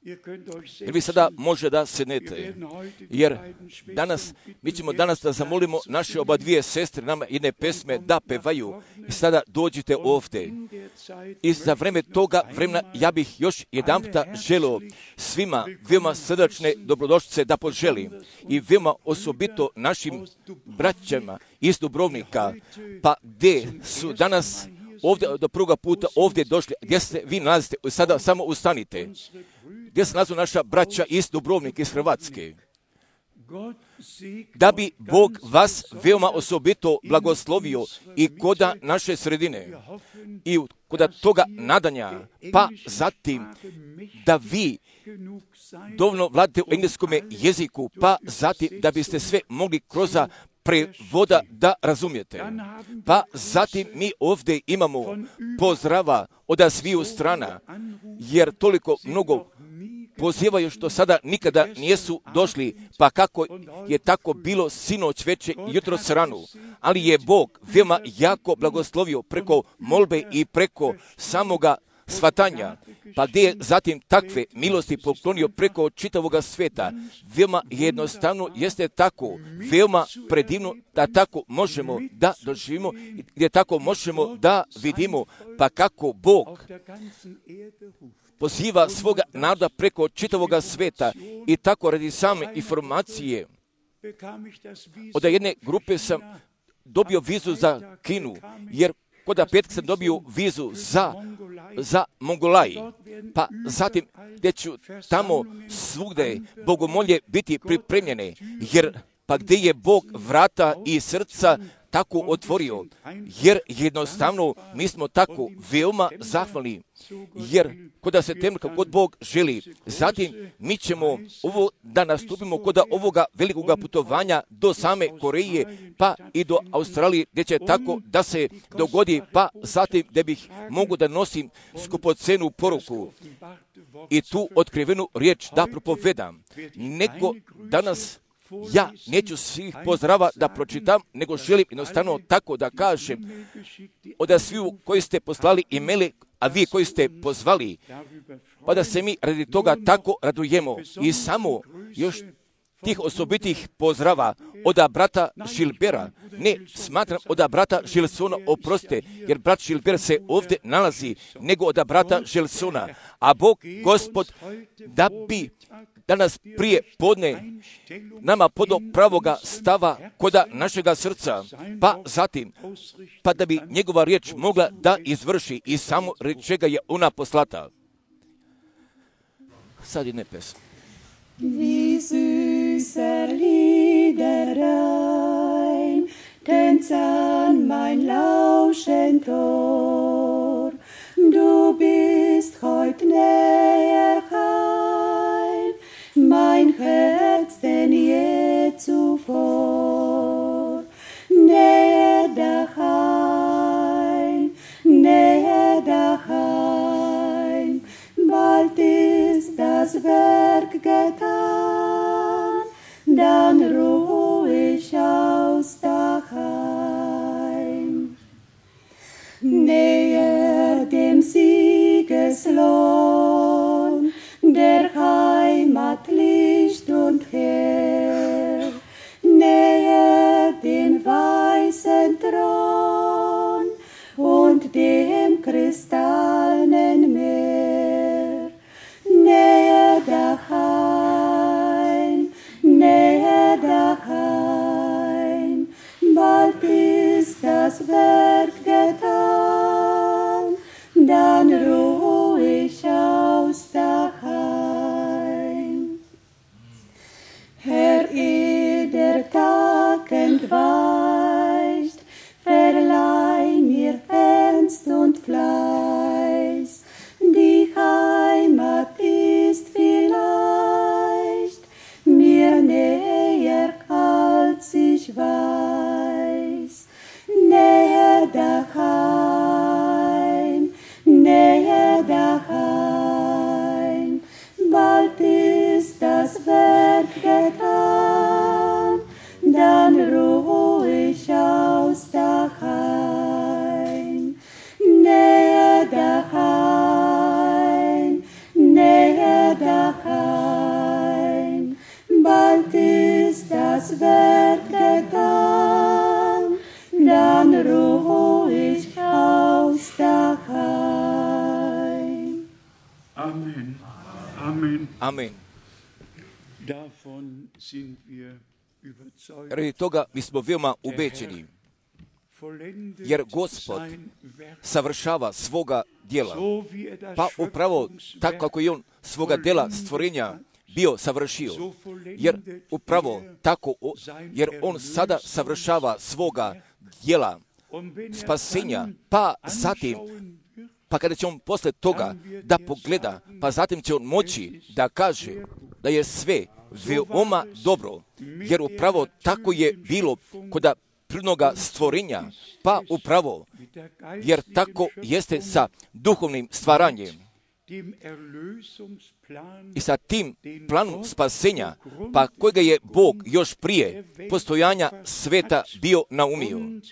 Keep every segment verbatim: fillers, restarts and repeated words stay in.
Jer vi sada može da sednete, jer danas, mi ćemo danas da zamolimo naše oba dvije sestre, nama jedne pesme da pevaju i sada dođite ovdje. I za vreme toga vremena ja bih još jedanputa želio svima veoma srdačne dobrodošlice da poželim i veoma osobito našim braćama iz Dubrovnika, pa gdje su danas ovdje do prvoga puta ovdje došli, gdje se vi nalazite, sada samo ustanite. Gdje se nalazu naša braća iz Dubrovnika, iz Hrvatske. Da bi Bog vas veoma osobito blagoslovio i koda naše sredine i koda toga nadanja, pa zatim da vi dovoljno vladite u engleskom jeziku, pa zatim da biste sve mogli kroz prevoda da razumijete. Pa zatim mi ovdje imamo pozdrava od sviju strana, jer toliko mnogo pozivaju što sada nikada nijesu došli, pa kako je tako bilo sinoć veče jutros ranu. Ali je Bog veoma jako blagoslovio preko molbe i preko samoga svatanja, pa gdje je zatim takve milosti poklonio preko čitavoga sveta. Veoma jednostavno jeste tako, veoma predivno da tako možemo da doživimo, gdje tako možemo da vidimo, pa kako Bog poziva svoga naroda preko čitavoga sveta i tako radi same informacije. Od jedne grupe sam dobio vizu za Kinu, jer kod petka sam dobio vizu za, za Mongolaj, pa zatim gdje ću tamo svugde bogomolje biti pripremljene, jer pa gdje je Bog vrata i srca tako otvorio, jer jednostavno mi smo tako veoma zahvalni, jer koda se temelj kako god Bog želi, zatim mi ćemo ovo da nastupimo koda ovoga velikoga putovanja do same Koreje, pa i do Australije, gdje će tako da se dogodi, pa zatim gdje bih mogu da nosim skupocenu poruku i tu otkrivenu riječ da propovedam, nego danas ja neću svih pozdrava da pročitam, nego želim jednostavno tako da kažem od sviju koji ste poslali e-maile, a vi koji ste pozvali, pa da se mi radi toga tako radujemo i samo još tih osobitih pozdrava od brata Žilbera, ne smatram od brata Žilsona, oprostite, jer brat Žilber se ovdje nalazi, nego od brata Žilsona, a Bog, Gospod, da bi danas prije podne nama podo pravoga stava koda našega srca, pa zatim, pa da bi njegova riječ mogla da izvrši i samo reč čega je ona poslata. Sad je ne pesma. Wie süßer Liederreim tönt's an mein lauschend Tor. Du bist heut näher heim, mein Herz denn je zuvor. Näher daheim, näher daheim, bald ist das Werk getan, dann ruh ich aus daheim. Näher dem Siegeslohn, der Heimat Licht und Heer, näher den weißen Thron und dem kristallenen Meer. Näher daheim, näher daheim, bald ist das Werk getan, dann ruh ich aus daheim. Herr, ehe der Tag entweicht, verleih mir Ernst und Werk getan, dann ruh ich aus daheim. Amen. Amen. Amen. Davon sind wir überzeugt. Radi toga mi smo veoma ubeđeni, Vollendet jer Gospod sein Werk, savršava svoga djela. so wie er das Pa upravo tako kako je on svoga djela stvorenja bio savršio, jer upravo tako, o- jer on sada savršava svoga djela Und wenn er spasenja, dann pa zatim, anschauen wird, pa kada će on posle toga da pogleda, pa zatim će on moći da kaže da je sve veoma dobro, jer upravo tako je bilo kod prirodnoga stvorenja, pa upravo, mit der jer tako geistlichen jeste sa duhovnim stvaranjem dem Erlösungsplan, i sa tim planom spasenja, pa kojega je Bog još prije postojanja sveta bio naumio. und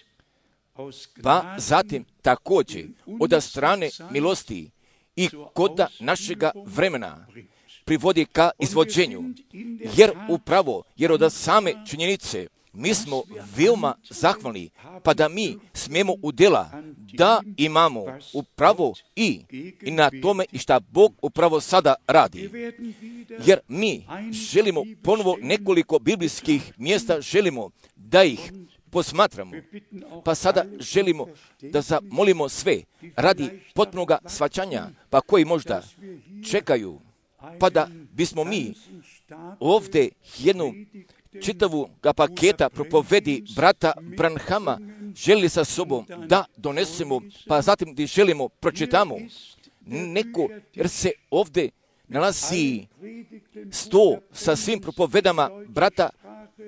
aus Pa Gnaden zatim također od strane milosti i kod našega vremena privodi ka izvođenju, jer upravo, jer od same činjenice mi smo veoma zahvalni, pa da mi smijemo udjela da imamo upravo i, i na tome i šta Bog upravo sada radi. werden wieder Jer mi želimo ponovo nekoliko biblijskih mjesta, želimo da ih posmatramo. bitten auch Pa sada alle želimo um da zamolimo sve radi potpunoga svaćanja, pa koji možda čekaju, pa da bismo mi ganzen Stapel ovdje jednu čitavu paketa propovedi brata Branhama želi sa sobom da donesemo, pa zatim da želimo pročitamo neko, jer se ovdje nalazi sto sa svim propovedama brata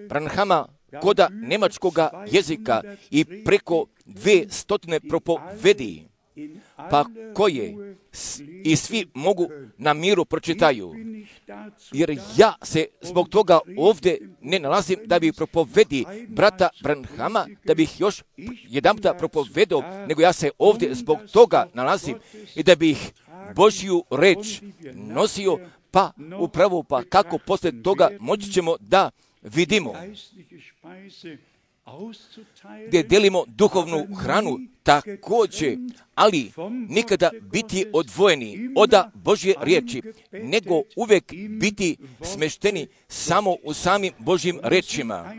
Branhama koda nemačkoga jezika i preko dve stotine propovedi, in pa aller koje Ruhe s- i svi mogu na miru pročitaju. bin ich dazu Jer ja se zbog toga ovdje ne nalazim da bih propovedi brata Branhama, da bih još jedanputa propovedao, nego ja se ovdje zbog toga nalazim i da bih Božju reč nosio, pa upravo pa kako poslije toga moći ćemo da vidimo geistliche Speise auszuteilen, gdje delimo duhovnu hranu također, ali nikada biti odvojeni od Božje riječi, nego uvijek biti smešteni samo u samim Božjim riječima.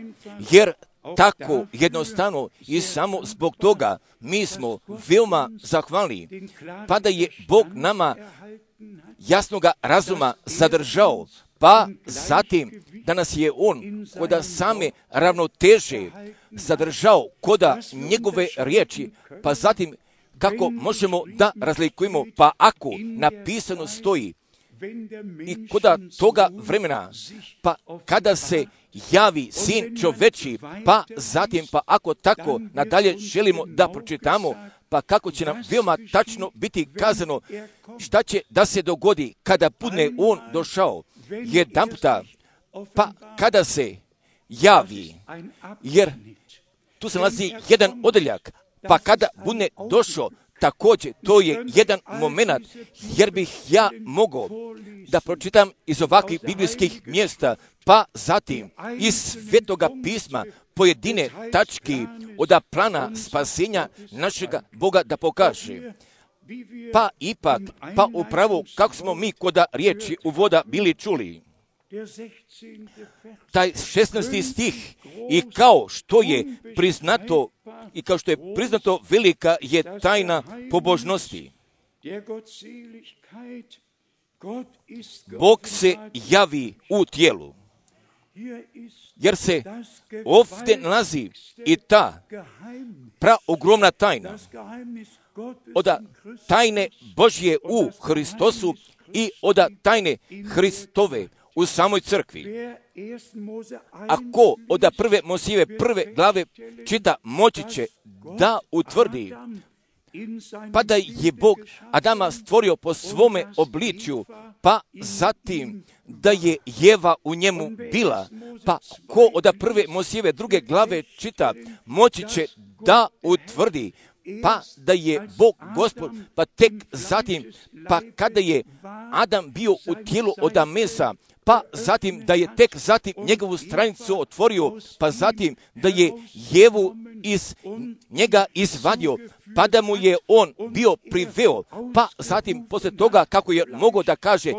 Jer tako jednostavno i samo zbog toga mi smo veoma zahvalni, den klaren pa da je Bog nama erhalten hat, jasnoga razuma zadržao, pa zatim da nas je On koda same ravnoteže zadržao koda njegove riječi, pa zatim kako možemo da razlikujemo, pa ako napisano stoji wenn der i koda toga Menschensohn vremena, sich pa kada se javi sin čoveči, pa zatim pa ako tako nadalje želimo da pročitamo, pa kako će nam veoma tačno biti kazano šta će da se dogodi kada bude on došao jedanputa, pa kada se javi, ein jer Abschnitt, tu se nalazi jedan odeljak, pa kada bude došao, također to je jedan moment, jer bih ja mogao da pročitam iz ovakvih biblijskih mjesta, pa zatim iz Svetoga pisma pojedine tački od plana spasenja našega Boga da pokaže. wie wir Pa ipak, pa upravo kako smo mi koda riječi uvoda bili čuli, der sechzehnte Vers taj šesnaesti stih, i kao što je priznato i kao što je priznato velika je tajna pobožnosti. der Gottseligkeit, Gott ist Bog se geoffenbart. javi u tijelu, Hier ist jer se das ovdje nalazi i ta Geheimnis, praogromna tajna das Geheimnis Gottes od in Christus. tajne Božje u Hristosu i od tajne Hristove u samoj crkvi. Wer ersten Mose Ako od prve Mosijeve prve glave čita, moći će da utvrdi pa da je Bog Adama stvorio po svome obličju, pa zatim da je Jeva u njemu bila, pa ko od prve Mosijeve druge glave čita, moći će da utvrdi pa da je Bog Gospod, pa tek zatim, pa kada je Adam bio u tijelu od mesa, pa zatim da je tek zatim njegovu stranicu otvorio, pa zatim da je Jevu iz njega izvadio, pa da mu je on bio priveo, pa zatim posle toga kako je mogao da kaže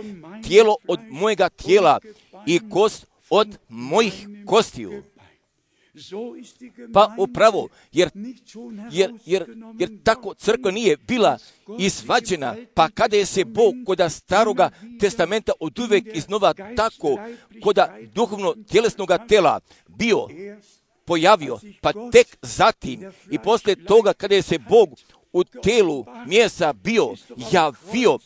tijelo od mojega tijela i kost od mojih kostiju. Pa upravo, jer, jer, jer, jer tako crkva nije bila izvađena, pa kada je se Bog koda staroga testamenta od uvek iznova tako koda duhovno tjelesnoga tela bio pojavio, pa tek zatim i posle toga kada je se Bog u telu mjesa bio javio,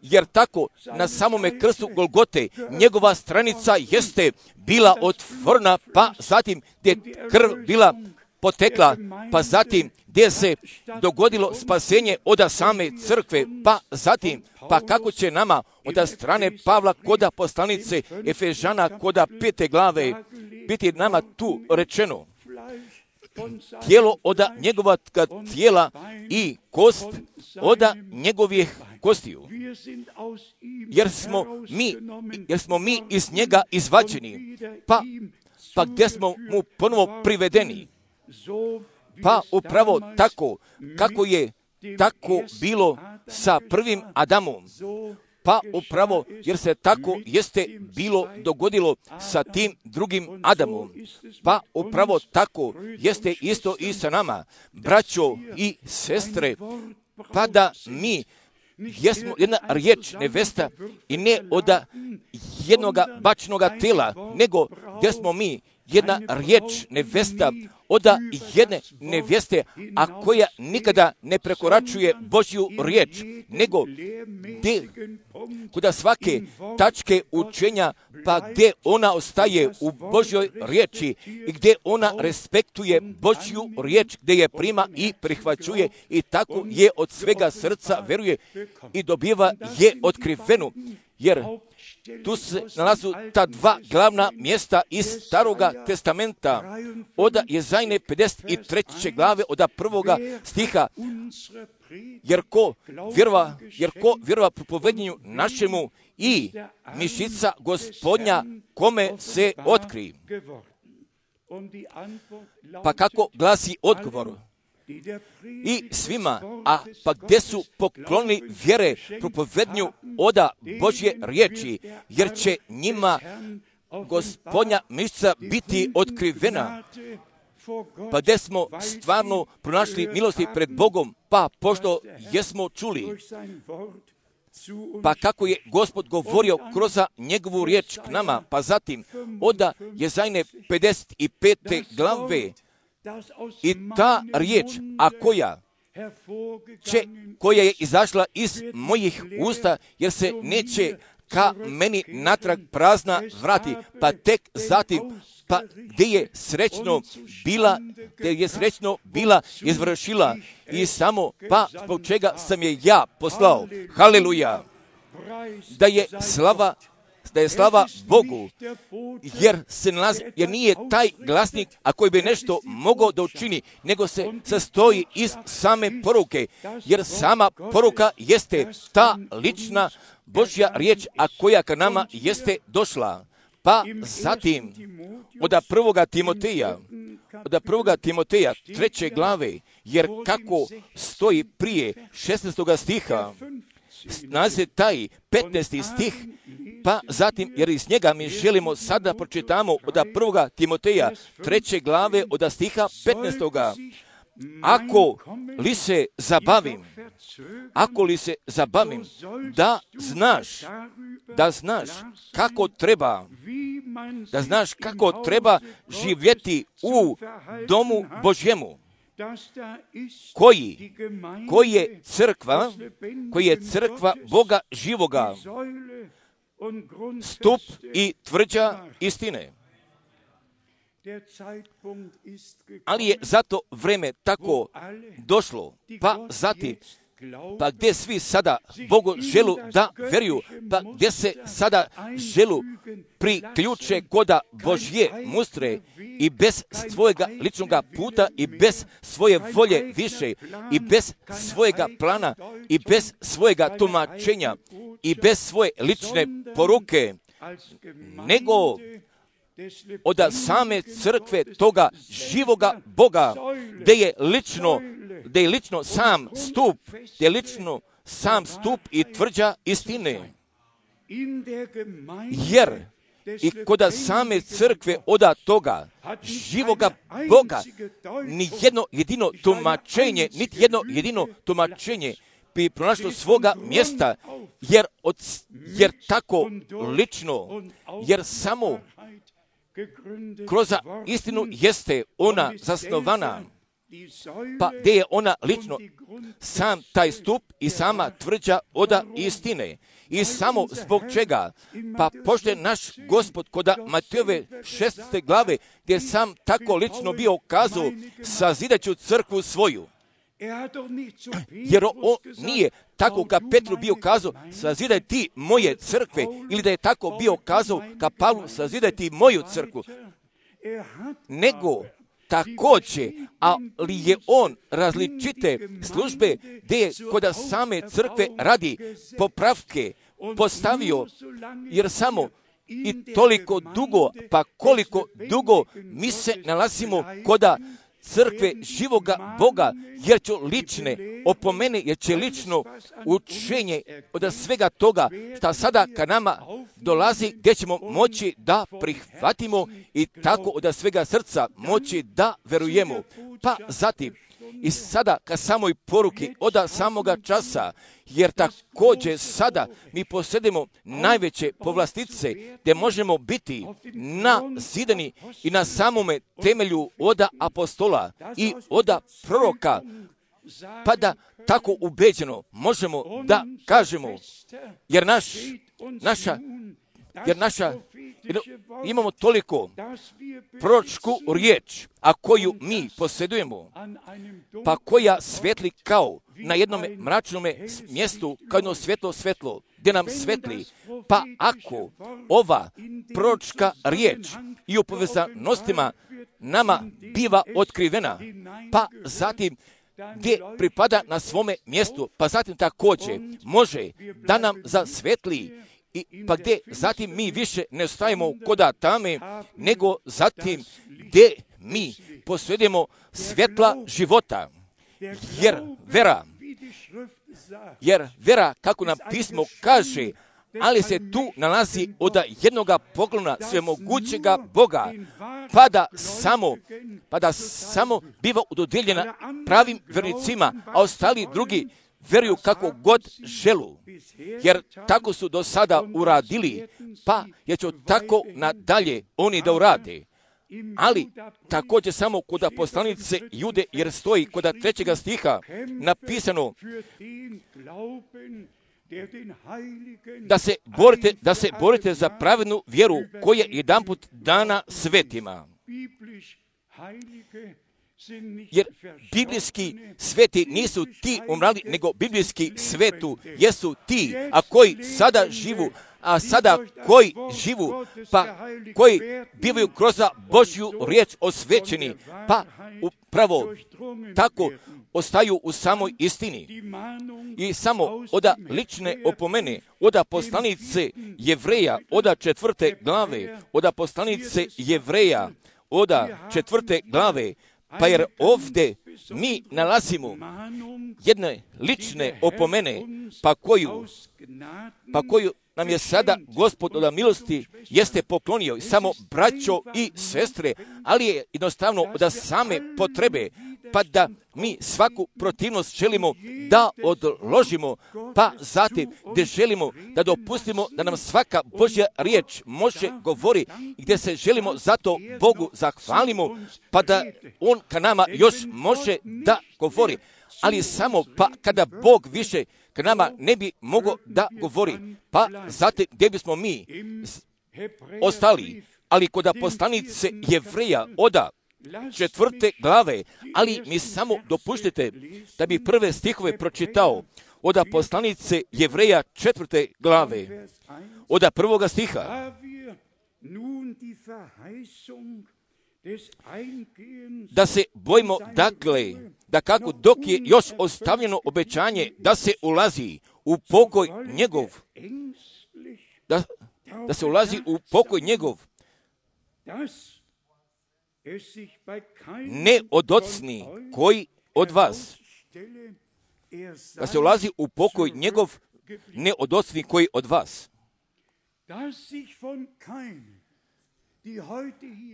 jer tako na samome krstu Golgote njegova stranica jeste bila otvorena, pa zatim gdje krv bila potekla, pa zatim gdje se dogodilo spasenje od same crkve, pa zatim, pa kako će nama od strane Pavla koda poslanice Efežana koda pete glave biti nama tu rečeno, tijelo od njegova tijela i kost od njegovih kostiju, jer smo mi, jer smo mi iz njega izvađeni, pa, pa gdje smo mu ponovo privedeni, pa upravo tako, kako je tako bilo sa prvim Adamom, pa upravo jer se tako jeste bilo dogodilo sa tim drugim Adamom, pa upravo tako jeste isto i sa nama, braćo i sestre, pa da mi jesmo jedna riječ nevesta i ne od jednoga bačnoga tela, nego gdje smo mi jedna riječ nevesta od jedne nevjeste, a koja nikada ne prekoračuje Božju riječ, nego gdje, kuda svake tačke učenja, pa gdje ona ostaje u Božjoj riječi i gdje ona respektuje Božju riječ, gdje je prima i prihvaćuje i tako je od svega srca veruje i dobiva je otkrivenu, jer tu se nalazu ta dva glavna mjesta iz Staroga testamenta, od Jezajne pedeset treće glave, od prvoga stiha, jer ko vjerova, jer ko vjerova propovednjenju našemu i mišica Gospodnja kome se otkri. Pa kako glasi odgovor? I svima, a pa gdje su pokloni vjere propovednju oda Božje riječi, jer će njima Gospodnja mišica biti otkrivena. Pa gdje smo stvarno pronašli milosti pred Bogom, pa pošto jesmo čuli, pa kako je Gospod govorio kroz njegovu riječ k nama, pa zatim od Jezajne pedeset pete glave, i ta riječ, a koja će, koja je izašla iz mojih usta, jer se neće ka meni natrag prazna vrati, pa tek zatim, pa gdje je srećno bila, gdje je srećno bila izvršila i samo, pa zbog čega sam je ja poslao. Haleluja! Da je slava da je slava Bogu, jer se nalazi, jer nije taj glasnik, a koji bi nešto mogao da učini, nego se sastoji iz same poruke, jer sama poruka jeste ta lična Božja riječ, a koja ka nama jeste došla. Pa zatim, od prvoga Timoteja, od prvoga Timoteja, treće glave, jer kako stoji prije šesnaestoga stiha, naze taj petnaesti stih, pa zatim, jer iz njega mi želimo sada pročitamo od prvoga Timoteja, treće glave, od stiha petnaestoga. Ako li se zabavim, ako li se zabavim, da znaš, da znaš kako treba, da znaš kako treba živjeti u domu Božjemu, koji, koji je crkva, koji je crkva Boga živoga, stup i tvrđa istine. Ali je zato vreme tako došlo, pa zatim, pa gdje svi sada Bogu želu da veruju, pa gdje se sada želu priključe koda Božje mustre i bez svojega ličnoga puta i bez svoje volje više i bez svojega plana i bez svojega tumačenja i bez svoje lične poruke, nego od same crkve toga živoga Boga, gdje je lično, gdje je lično sam stup, gdje je lično sam stup i tvrđa istine. Jer i kod same crkve oda toga živoga Boga ni jedno jedino tumačenje, niti jedno jedino tumačenje bi pronašlo svoga mjesta, jer, od, jer tako lično, jer samo kroz istinu jeste ona zasnovana, pa gdje je ona lično sam taj stup i sama tvrđa oda istine. I samo zbog čega? Pa pošto je naš Gospod koda Matejove šeste glave, gdje sam tako lično bio kazao, sazidaću crkvu svoju. Jer on nije tako ka Petru bio kazao, sazidaj ti moje crkve, ili da je tako bio kazao ka Pavlu, sazidaj ti moju crkvu. Nego također, ali je on različite službe gdje je kod same crkve radi popravke postavio, jer samo i toliko dugo, pa koliko dugo mi se nalazimo koda crkve živoga Boga, jer će lične opomene, jer će lično učenje od svega toga što sada ka nama dolazi, gdje ćemo moći da prihvatimo i tako od svega srca moći da verujemo. Pa zatim, i sada ka samoj poruki od samoga časa, jer također sada mi posjedimo najveće povlastice gdje možemo biti nazidani i na samome temelju od apostola i od proroka, pa da tako ubeđeno možemo da kažemo, jer naš, naša, jer naša, imamo toliko proročku riječ, a koju mi posjedujemo, pa koja svetli kao na jednom mračnom mjestu, kao jedno svetlo svetlo, gdje nam svetli. Pa ako ova proročka riječ i u povezanostima nama biva otkrivena, pa zatim gdje pripada na svome mjestu, pa zatim također može da nam zasvetli, I, pa gdje zatim mi više ne ostajemo koda tame, nego zatim gdje mi posjedujemo svjetla života. Jer vera, jer vera, kako nam pismo kaže, ali se tu nalazi od jednoga poklona svemogućega Boga, pa da samo, pa da samo biva udodijeljena pravim vernicima, a ostali drugi veruju kako god želu, jer tako su do sada uradili, pa je će tako nadalje oni da urade. Ali također samo kod poslanice Jude, jer stoji kod trećega stiha napisano da se borite, da se borite za pravednu vjeru koja je jedanput dana svetima. Jer biblijski sveti nisu ti umrali, nego biblijski svetu jesu ti, a koji sada živu, a sada koji živu, pa koji bivaju kroz Božju riječ osvećeni, pa upravo tako ostaju u samoj istini. I samo od lične opomene, od poslanice Jevreja, od četvrte glave, od poslanice Jevreja, od četvrte glave, pa jer ovdje mi nalazimo jedne lične opomene, pa koju, pa koju nam je sada Gospod od milosti jeste poklonio, samo braćo i sestre, ali je jednostavno od same potrebe, pa da mi svaku protivnost želimo da odložimo, pa zatim gdje želimo da dopustimo da nam svaka Božja riječ može govori i gdje se želimo zato Bogu zahvalimo, pa da On ka nama još može da govori. Ali samo pa kada Bog više ka nama ne bi mogao da govori, pa zatim gdje bismo mi ostali, ali kod poslanice Jevreja oda četvrte glave, ali mi samo dopuštite da bi prve stihove pročitao od poslanice Jevreja četvrte glave, od prvoga stiha. da se bojimo, dakle, da kako dok je još ostavljeno obećanje da se ulazi u pokoj njegov, da, da se ulazi u pokoj njegov, ne odocni koji od vas, da se ulazi u pokoj njegov, ne odocni koji od vas.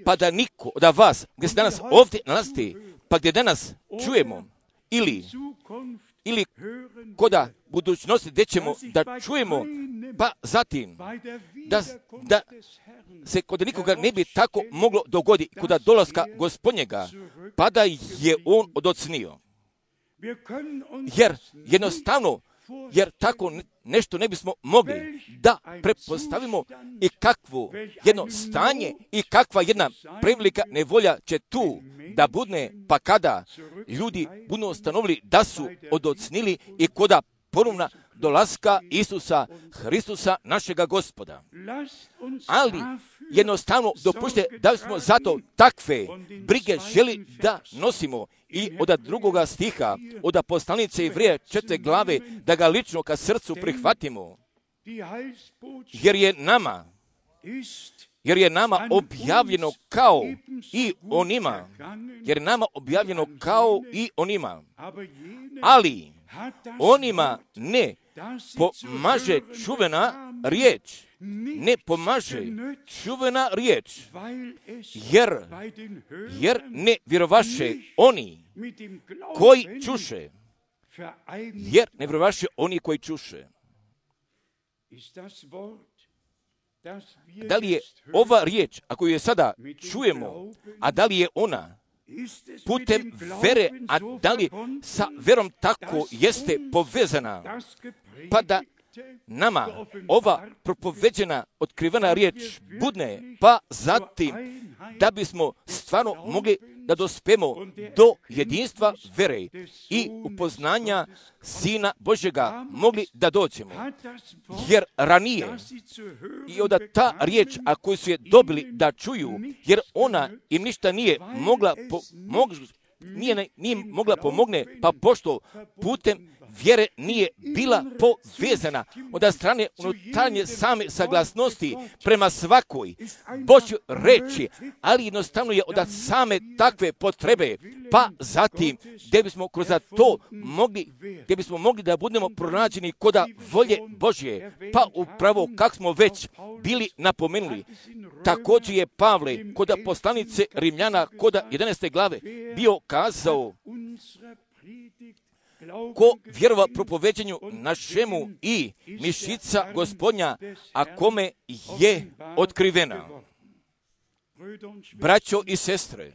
Pa da niko, da vas, gdje se danas ovdje nalazite, pa gdje danas čujemo, ili, ili koda budućnosti gdje ćemo da čujemo, pa zatim, da, da se kod nikoga ne bi tako moglo dogoditi kod dolaska Gospodnjega, pa da je on odocnio. Jer jednostavno, jer tako nešto ne bismo mogli da prepostavimo i kakvo jedno stanje i kakva jedna prevelika nevolja će tu da bude, pa kada ljudi budu ustanovili da su odocnili i koda ponovna dolaska Isusa Hristusa našega Gospoda. Ali jednostavno dopustite da smo zato takve brige želi da nosimo i od drugoga stiha, od poslanice Jevreja četvrte glave, da ga lično ka srcu prihvatimo. Jer je nama, jer je nama objavljeno kao i onima, jer je nama objavljeno kao i onima, ali onima ne pomaže čuvena riječ, ne pomaže čuvena riječ, jer, jer ne vjerovaše oni koji čuše, jer ne vjerovaše oni koji čuše. Da li je ova riječ, ako je sada čujemo, a da li je ona putem vere, a da li sa verom tako jeste povezana, pa da nama ova propoveđena, otkrivena riječ budne, pa zatim da bismo stvarno mogli da dospemo do jedinstva vere i upoznanja Sina Božjega mogli da dođemo. Jer ranije i od ta riječ, a koju su je dobili da čuju, jer ona im ništa nije mogla pomoći, nije, nije mogla pomogne, pa pošto putem vjere nije bila povezana od strane unutarnje same saglasnosti prema svakoj Božjoj reči, ali jednostavno je od same takve potrebe, pa zatim gdje bismo kroz to mogli, gdje bismo mogli da budemo pronađeni koda volje Božje, pa upravo kako smo već bili napomenuli. Također je Pavle koda poslanice Rimljana koda jedanaeste glave bio kazao: ko vjerova propoveđenju našemu i mišica Gospodnja, a kome je otkrivena. Braćo i sestre,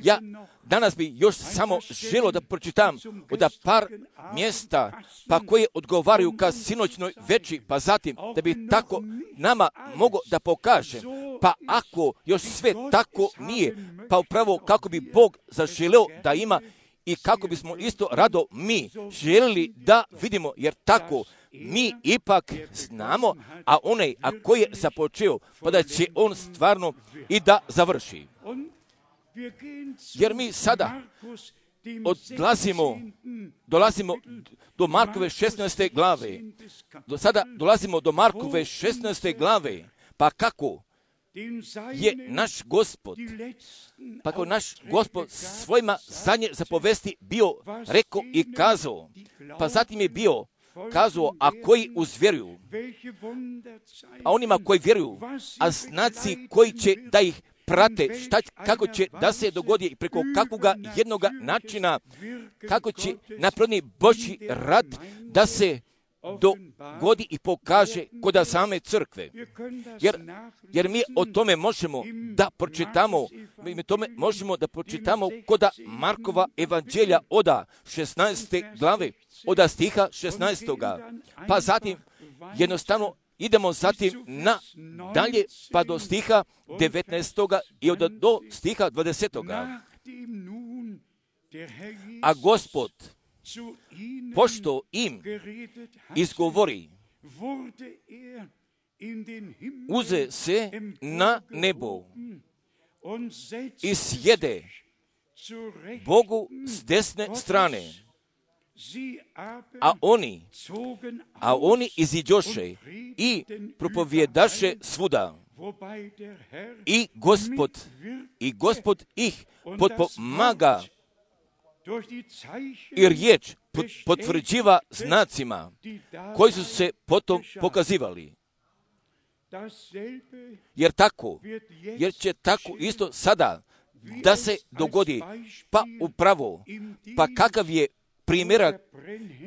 ja danas bi još samo želio da pročitam od par mjesta, pa koje odgovaraju ka sinoćnoj veći, pa zatim da bi tako nama mogo da pokažem, pa ako još sve tako nije, pa upravo kako bi Bog zaželeo da ima i kako bismo isto rado mi željeli da vidimo, jer tako mi ipak znamo, a onaj a koji je započeo, pa da će on stvarno i da završi. Jer mi sada odlazimo, dolazimo do Markove šesnaeste glave. Do sada dolazimo do Markove šesnaeste glave. Pa kako je naš Gospod, pa kako naš Gospod svojima zadnje zapovesti bio rekao i kazao, pa zatim je bio kazao, a koji uzvjeruju, a onima koji vjeruju, a znaci koji će da ih prate, šta, kako će da se dogodi i preko kakvoga jednoga načina, kako će napravni Božji rad da se dogodi i pokaže kod same crkve. Jer, jer mi o tome možemo da pročitamo, mi tome možemo da pročitamo kod Markova evanđelja oda šesnaeste glave, oda stiha šesnaestoga. Pa zatim jednostavno idemo zatim na dalje pa do stiha devetnaestoga i od do stiha dvadesetoga. A Gospod, pošto im izgovori, uze se na nebo i sjede Bogu s desne strane. A oni, a oni iziđoše i propovjedaše svuda. I Gospod, i Gospod ih potpomaga i riječ potvrđiva znacima koji su se potom pokazivali. Jer tako, jer će tako isto sada da se dogodi, pa upravo, pa kakav je primjerak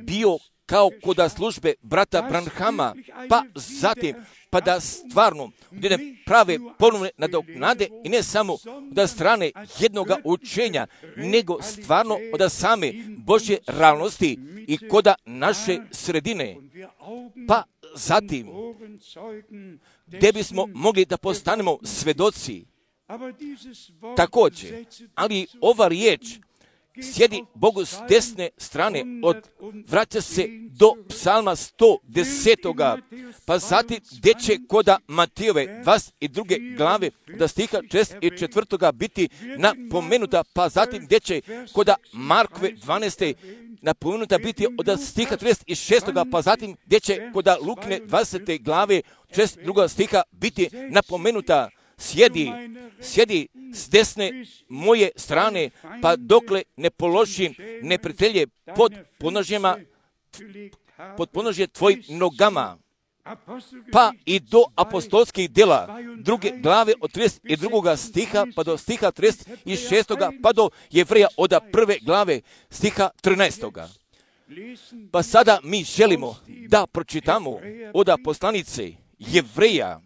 bio kao kod službe brata Branhama, pa zatim, pa da stvarno jedne prave ponovne nadoknade i ne samo od strane jednoga učenja, nego stvarno od same Božje realnosti i koda naše sredine. Pa zatim, gdje bismo mogli da postanemo svedoci. Također, ali ova riječ sjedi Bogu s desne strane, od, vraća se do psalma sto deset. Pa zatim gdje će koda Matijove dvadeset druge glave da stiha šest i četvrtoga biti napomenuta, pa zatim gdje će koda Markove dvanaeste napomenuta biti od stiha trideset šest. Pa zatim gdje će koda Lukine dvadesete glave šest druga stiha biti napomenuta. Sjedi, sjedi s desne moje strane, pa dokle ne položim neprijatelje pod ponožjema, pod ponožje tvojim nogama. Pa i do apostolskih djela, druge glave od trideset drugoga stiha, pa do stiha trideset šest. Pa do Jevreja od prve glave stiha trinaestoga. Pa sada mi želimo da pročitamo od poslanice Jevreja,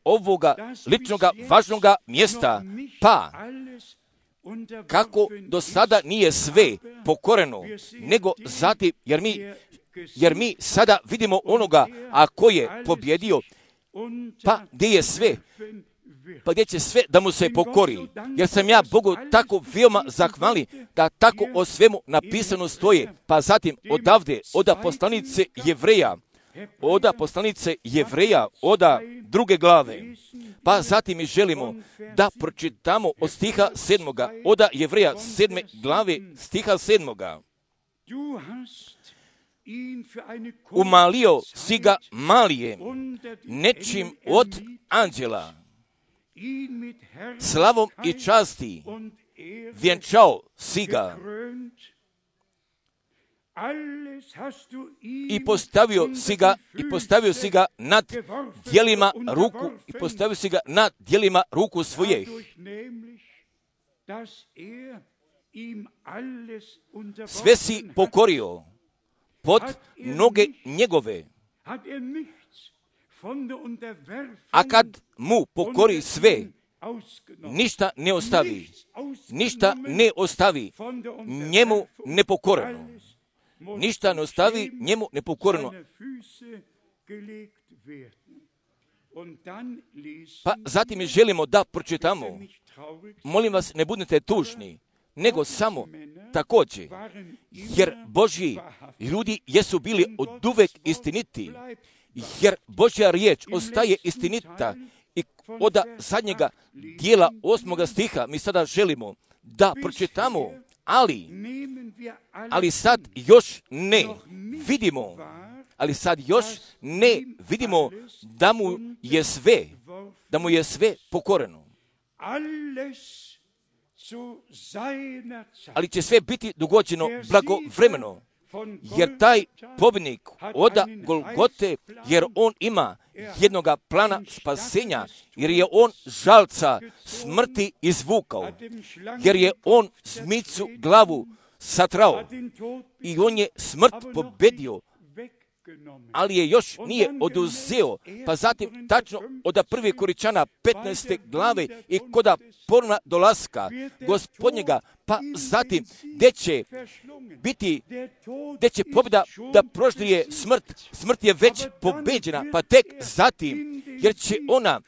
ovoga ličnoga važnoga mjesta, pa kako do sada nije sve pokoreno, nego zatim, jer mi, jer mi sada vidimo onoga, a ko je pobjedio, pa gdje je sve, pa gdje će sve da mu se pokori, jer sam ja Bogu tako veoma zahvali, da tako o svemu napisano stoje, pa zatim odavde, od poslanice Jevreja, oda poslanice Jevreja, oda druge glave. Pa zatim mi želimo da pročitamo od stiha sedmoga, oda Jevreja sedme glave, stiha sedmoga. Umalio si ga malije, nečim od anđela, slavom i časti vjenčao si ga i postavio si ga i postavio si ga nad djelima ruku i postavio si ga nad djelima ruku svojih. Sve si pokorio pod noge njegove. A kad mu pokori sve, ništa ne ostavi, ništa ne ostavi njemu nepokoreno. Ništa ne ostavi njemu nepokoreno. Pa zatim mi želimo da pročitamo. Molim vas, ne budete tužni, nego samo također, jer Božji ljudi jesu bili oduvek istiniti, jer Božja riječ ostaje istinita. I od zadnjega dijela osmoga stiha mi sada želimo da pročitamo, ali, ali sad još ne vidimo, ali sad još ne vidimo da mu je sve, da mu je sve pokoreno. Ali će sve biti dogođeno blagovremeno, jer taj pobjednik od Golgote, jer on ima jednoga plana spasenja, jer je on žalca smrti izvukao, jer je on zmicu glavu satrao i on je smrt pobjedio, ali je još nije oduzeo. Pa zatim tačno od prve Koričana petnaeste glave i koda ponovna dolaska Gospodnjega, pa zatim gdje će biti, gdje će pobjeda da proždrije smrt, smrt je već pobeđena, pa tek zatim, jer će ona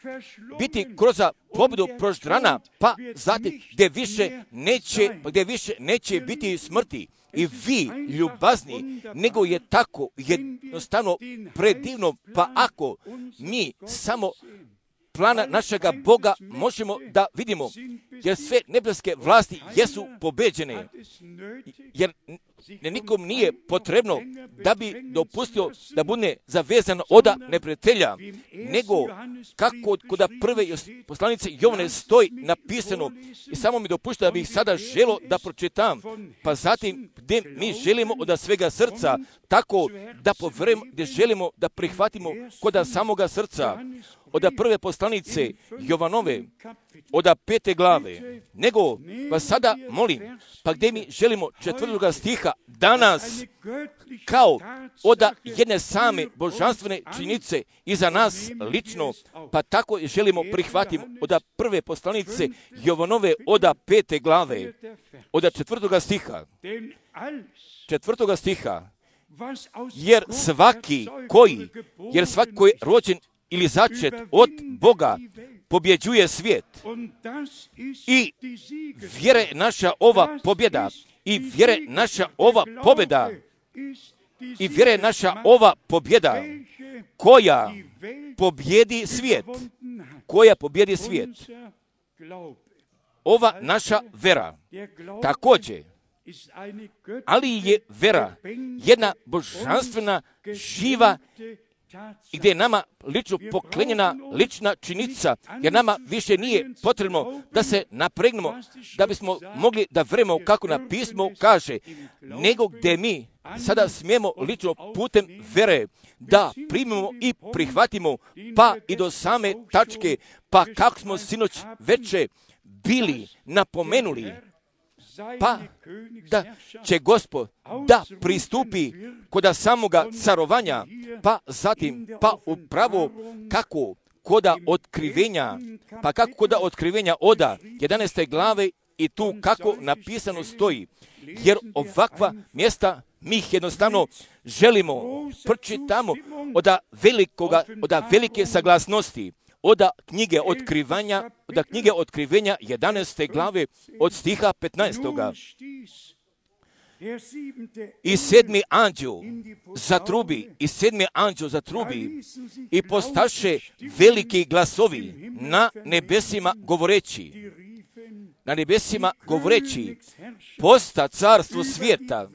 biti kroz pobjedu proždrana, pa zatim gdje više neće, gdje više neće biti smrti. I vi, ljubazni, nego je tako jednostavno predivno, pa ako mi samo plana našega Boga možemo da vidimo, jer sve nebeske vlasti jesu pobeđene, jer nikom nije potrebno da bi dopustio da bude zavezan od neprijatelja, nego kako kod prve poslanice Jovane stoji napisano, i samo mi dopušta da bih sada želio da pročitam, pa zatim gdje mi želimo od svega srca, tako da povremeno gdje želimo da prihvatimo kod samoga srca, od prve poslanice Jovanove, od pete glave, nego vas sada molim, pa gdje mi želimo četvrtoga stiha danas, kao od jedne same božanstvene činjenice i za nas lično, pa tako želimo prihvatiti od prve poslanice Jovanove od pete glave, od četvrtoga stiha, četvrtoga stiha, jer svaki koji, jer svaki koji je rođen ili začet od Boga pobjeđuje svijet. I vjere naša ova pobjeda, i vjere naša ova pobjeda, i vjere naša ova pobjeda, koja pobjedi svijet, koja pobjedi svijet. Ova naša vera, također, ali je vera jedna božanstvena, živa, i gdje je nama lično poklenjena lična činjenica, jer nama više nije potrebno da se napregnemo, da bismo mogli da vremo kako na pismo kaže, nego gdje mi sada smijemo lično putem vere da primimo i prihvatimo, pa i do same tačke, pa kako smo sinoć veče bili napomenuli, pa da će Gospod da pristupi kod samoga carovanja, pa zatim, pa upravo kako koda otkrivenja, pa kako koda otkrivenja oda jedanaeste glave i tu kako napisano stoji, jer ovakva mjesta mi ih jednostavno želimo pročitamo od velikoga, od velike saglasnosti, od knjige otkrivanja, od knjige otkrivenja jedanaeste glave od stiha petnaestoga. I sedmi anđel zatrubi, i sedmi anđel zatrubi, i postaše veliki glasovi na nebesima govoreći, na nebesima govoreći, posta carstvo svijeta,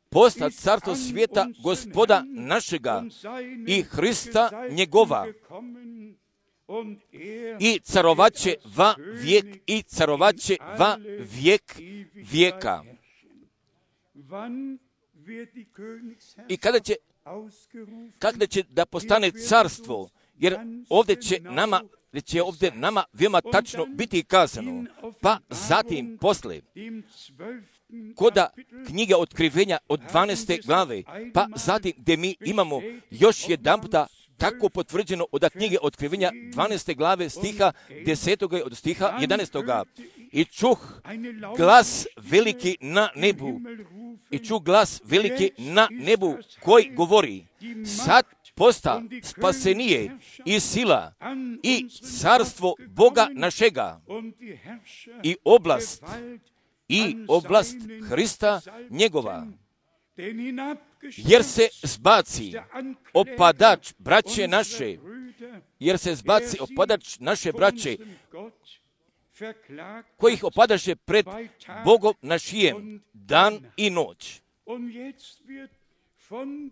posta carstvo svijeta Gospoda našega i Hrista njegova, i carovaće va vijek, i carovaće va vijek vijeka. I kada će, kada će da postane carstvo, jer ovdje će nama, će ovdje nama veoma tačno biti kazano, pa zatim posle, koda knjige otkrivenja od dvanaeste glave, pa zatim gdje mi imamo još jedan puta tako potvrđeno od knjige otkrivenja dvanaeste glave stiha desetoga od stiha jedanaestoga. I čuh glas veliki na nebu, i čuh glas veliki na nebu koji govori, sad posta spasenije i sila i carstvo Boga našega i oblast i oblast Hrista njegova, jer se zbaci opadač braće naše, jer se zbaci opadač naše braće, kojih opadaše pred Bogom našijem dan i noć.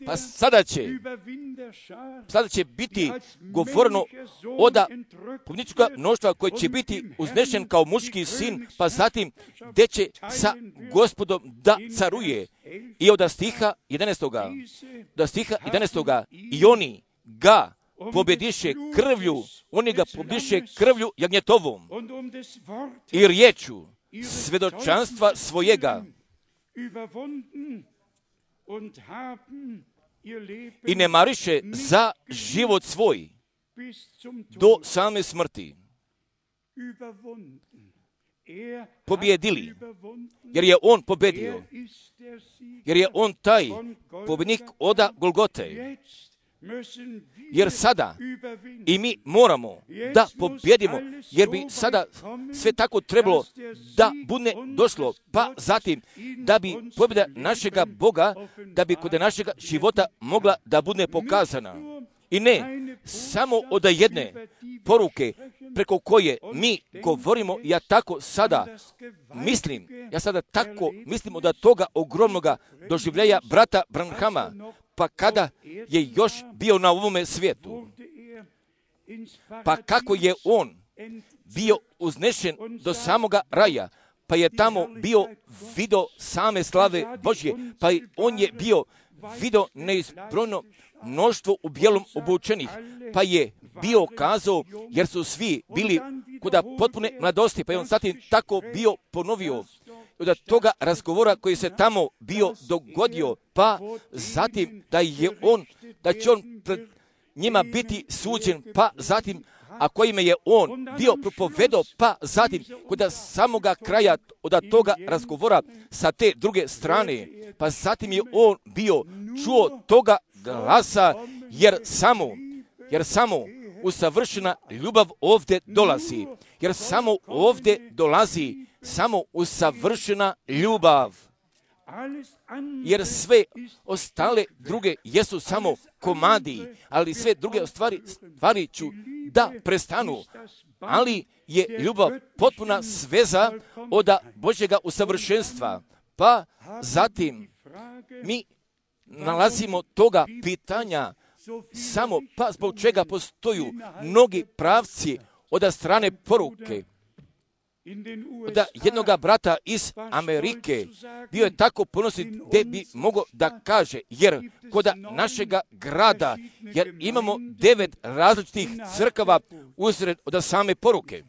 Pa sada će, sada će biti govoreno od pobjedničkoga mnoštva koji će biti uznešen kao muški sin, pa zatim gdje će sa Gospodom da caruje. I od stiha jedanaestoga, do stiha jedanaestoga, i oni ga pobjediše krvlju, oni ga pobjediše krvlju jagnjetovom i riječu svedočanstva svojega, i ne mariše za život svoj do same smrti. pobjedili, jer je on pobedio, jer je on taj pobjednik oda Golgote. Jer sada i mi moramo da pobjedimo, jer bi sada sve tako trebalo da bude došlo, pa zatim da bi pobjeda našega Boga, da bi kod našega života mogla da bude pokazana. I ne samo od jedne poruke preko koje mi govorimo, ja tako sada mislim, ja sada tako mislim od toga ogromnoga doživljaja brata Branhama, pa kada je još bio na ovome svijetu, pa kako je on bio uznešen do samoga raja, pa je tamo bio video same slave Božje, pa on je bio video neizbrojno mnoštvo u bijelom obučenih, pa je bio kazao, jer su svi bili kuda potpune mladosti, pa je on zatim tako bio ponovio od toga razgovora koji se tamo bio dogodio, pa zatim da je on, da će on pred njima biti suđen, pa zatim a kojime je on bio propovedao, pa zatim kod samoga kraja od toga razgovora sa te druge strane, pa zatim je on bio čuo toga glasa, jer samo, jer samo usavršena ljubav ovdje dolazi, jer samo ovdje dolazi samo usavršena ljubav. Jer sve ostale druge jesu samo komadi, ali sve druge stvari, stvari ću da prestanu. Ali je ljubav potpuna sveza od Božjega usavršenstva. Pa zatim mi nalazimo toga pitanja samo pa zbog čega postoju mnogi pravci od strane poruke. Da jednoga brata iz Amerike bio je tako ponosan gdje bi mogao da kaže, jer kod našega grada, jer imamo devet različitih crkava usred od same poruke.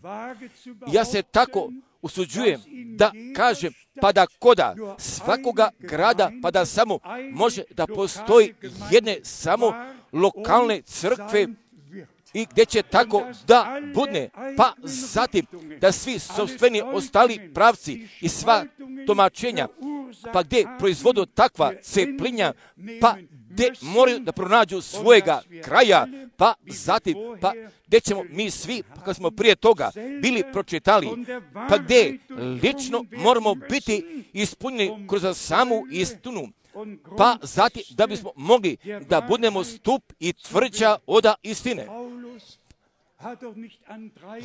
Ja se tako usuđujem da kažem, pa da koda svakoga grada, pa da samo može da postoji jedne samo lokalne crkve, i gdje će tako da budne, pa zatim da svi sopstveni ostali pravci i sva tumačenja, pa gdje proizvodu takva ceplinja, pa gdje moraju da pronađu svojega kraja, pa zatim, pa gdje ćemo mi svi, pa kad smo prije toga bili pročitali, pa gdje lično moramo biti ispunjeni kroz samu istinu, pa zatim da bismo mogli da budemo stup i tvrđa oda istine.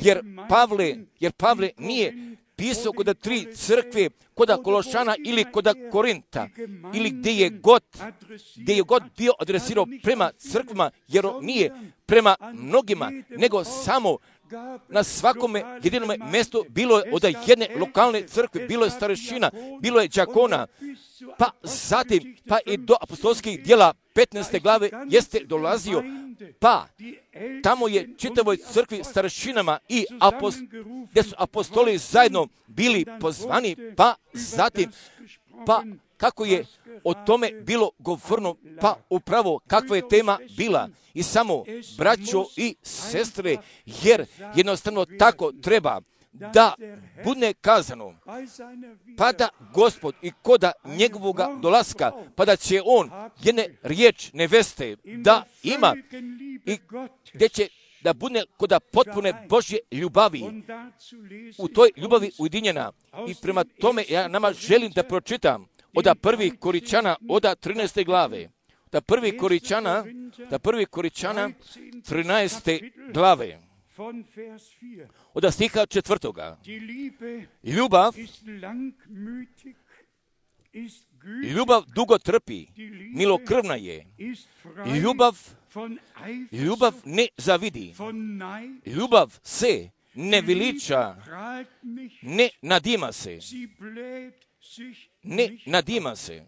Jer Pavle, jer Pavle nije pisao kod tri crkve, kod Kološana ili kod Korinta, ili gdje je god, gdje je god bio adresirao prema crkvama, jer on nije prema mnogima, nego samo na svakome jedinome mjestu bilo je od jedne lokalne crkve, bilo je starešina, bilo je đakona, pa zatim, pa i do apostolskih djela petnaeste glave jeste dolazio, pa tamo je čitavoj crkvi starešinama i apost, gdje su apostoli zajedno bili pozvani, pa zatim, pa kako je o tome bilo govorno, pa upravo kakva je tema bila. I samo, braćo i sestre, jer jednostavno tako treba da bude kazano, pa da Gospod i koda njegovoga dolaska, pa da će on jedne riječ neveste da ima i gdje će da bude koda potpune Božje ljubavi, u toj ljubavi ujedinjena. I prema tome ja nama želim da pročitam od prvih Koričana, od trinaeste glave. Da prvi Koričana, da prvi Koričana, trinaeste glave. Od stiha četvrtoga. Ljubav, ljubav dugo trpi, milokrvna je. Ljubav, ljubav ne zavidi. Ljubav se ne veliča, ne nadima se. Ne nadima se.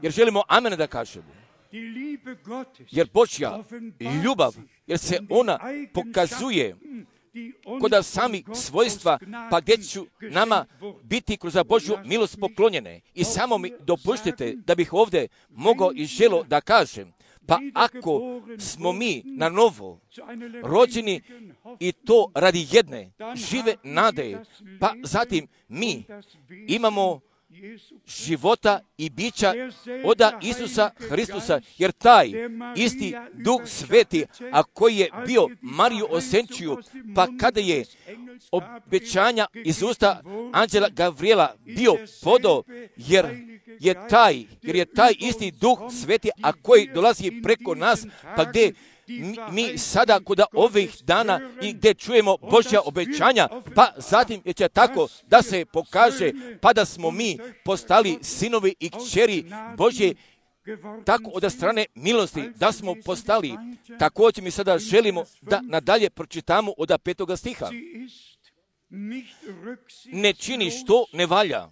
Jer želimo amen da kažemo. Jer Božja ljubav, jer se ona pokazuje kod sami svojstva, pa gdje ću nama biti kroz Božju milost poklonjene. I samo mi dopuštite da bih ovdje mogao i želo da kažem, Pa ako smo mi na novo rođeni i to radi jedne žive nade, pa zatim mi imamo života i bića oda Isusa Hristusa, jer taj isti Duh Sveti, a koji je bio Mariju osenčio, pa kada je obećanja iz usta anđela Gavrijela bio podao, jer je taj, jer je taj isti Duh Sveti, a koji dolazi preko nas, pa gdje mi, mi sada kod ovih dana i gdje čujemo Božja obećanja, pa zatim je će tako da se pokaže, pa da smo mi postali sinovi i kćeri Božje, tako od strane milosti da smo postali. Također mi sada želimo da nadalje pročitamo od petoga stiha. Ne čini što ne valja,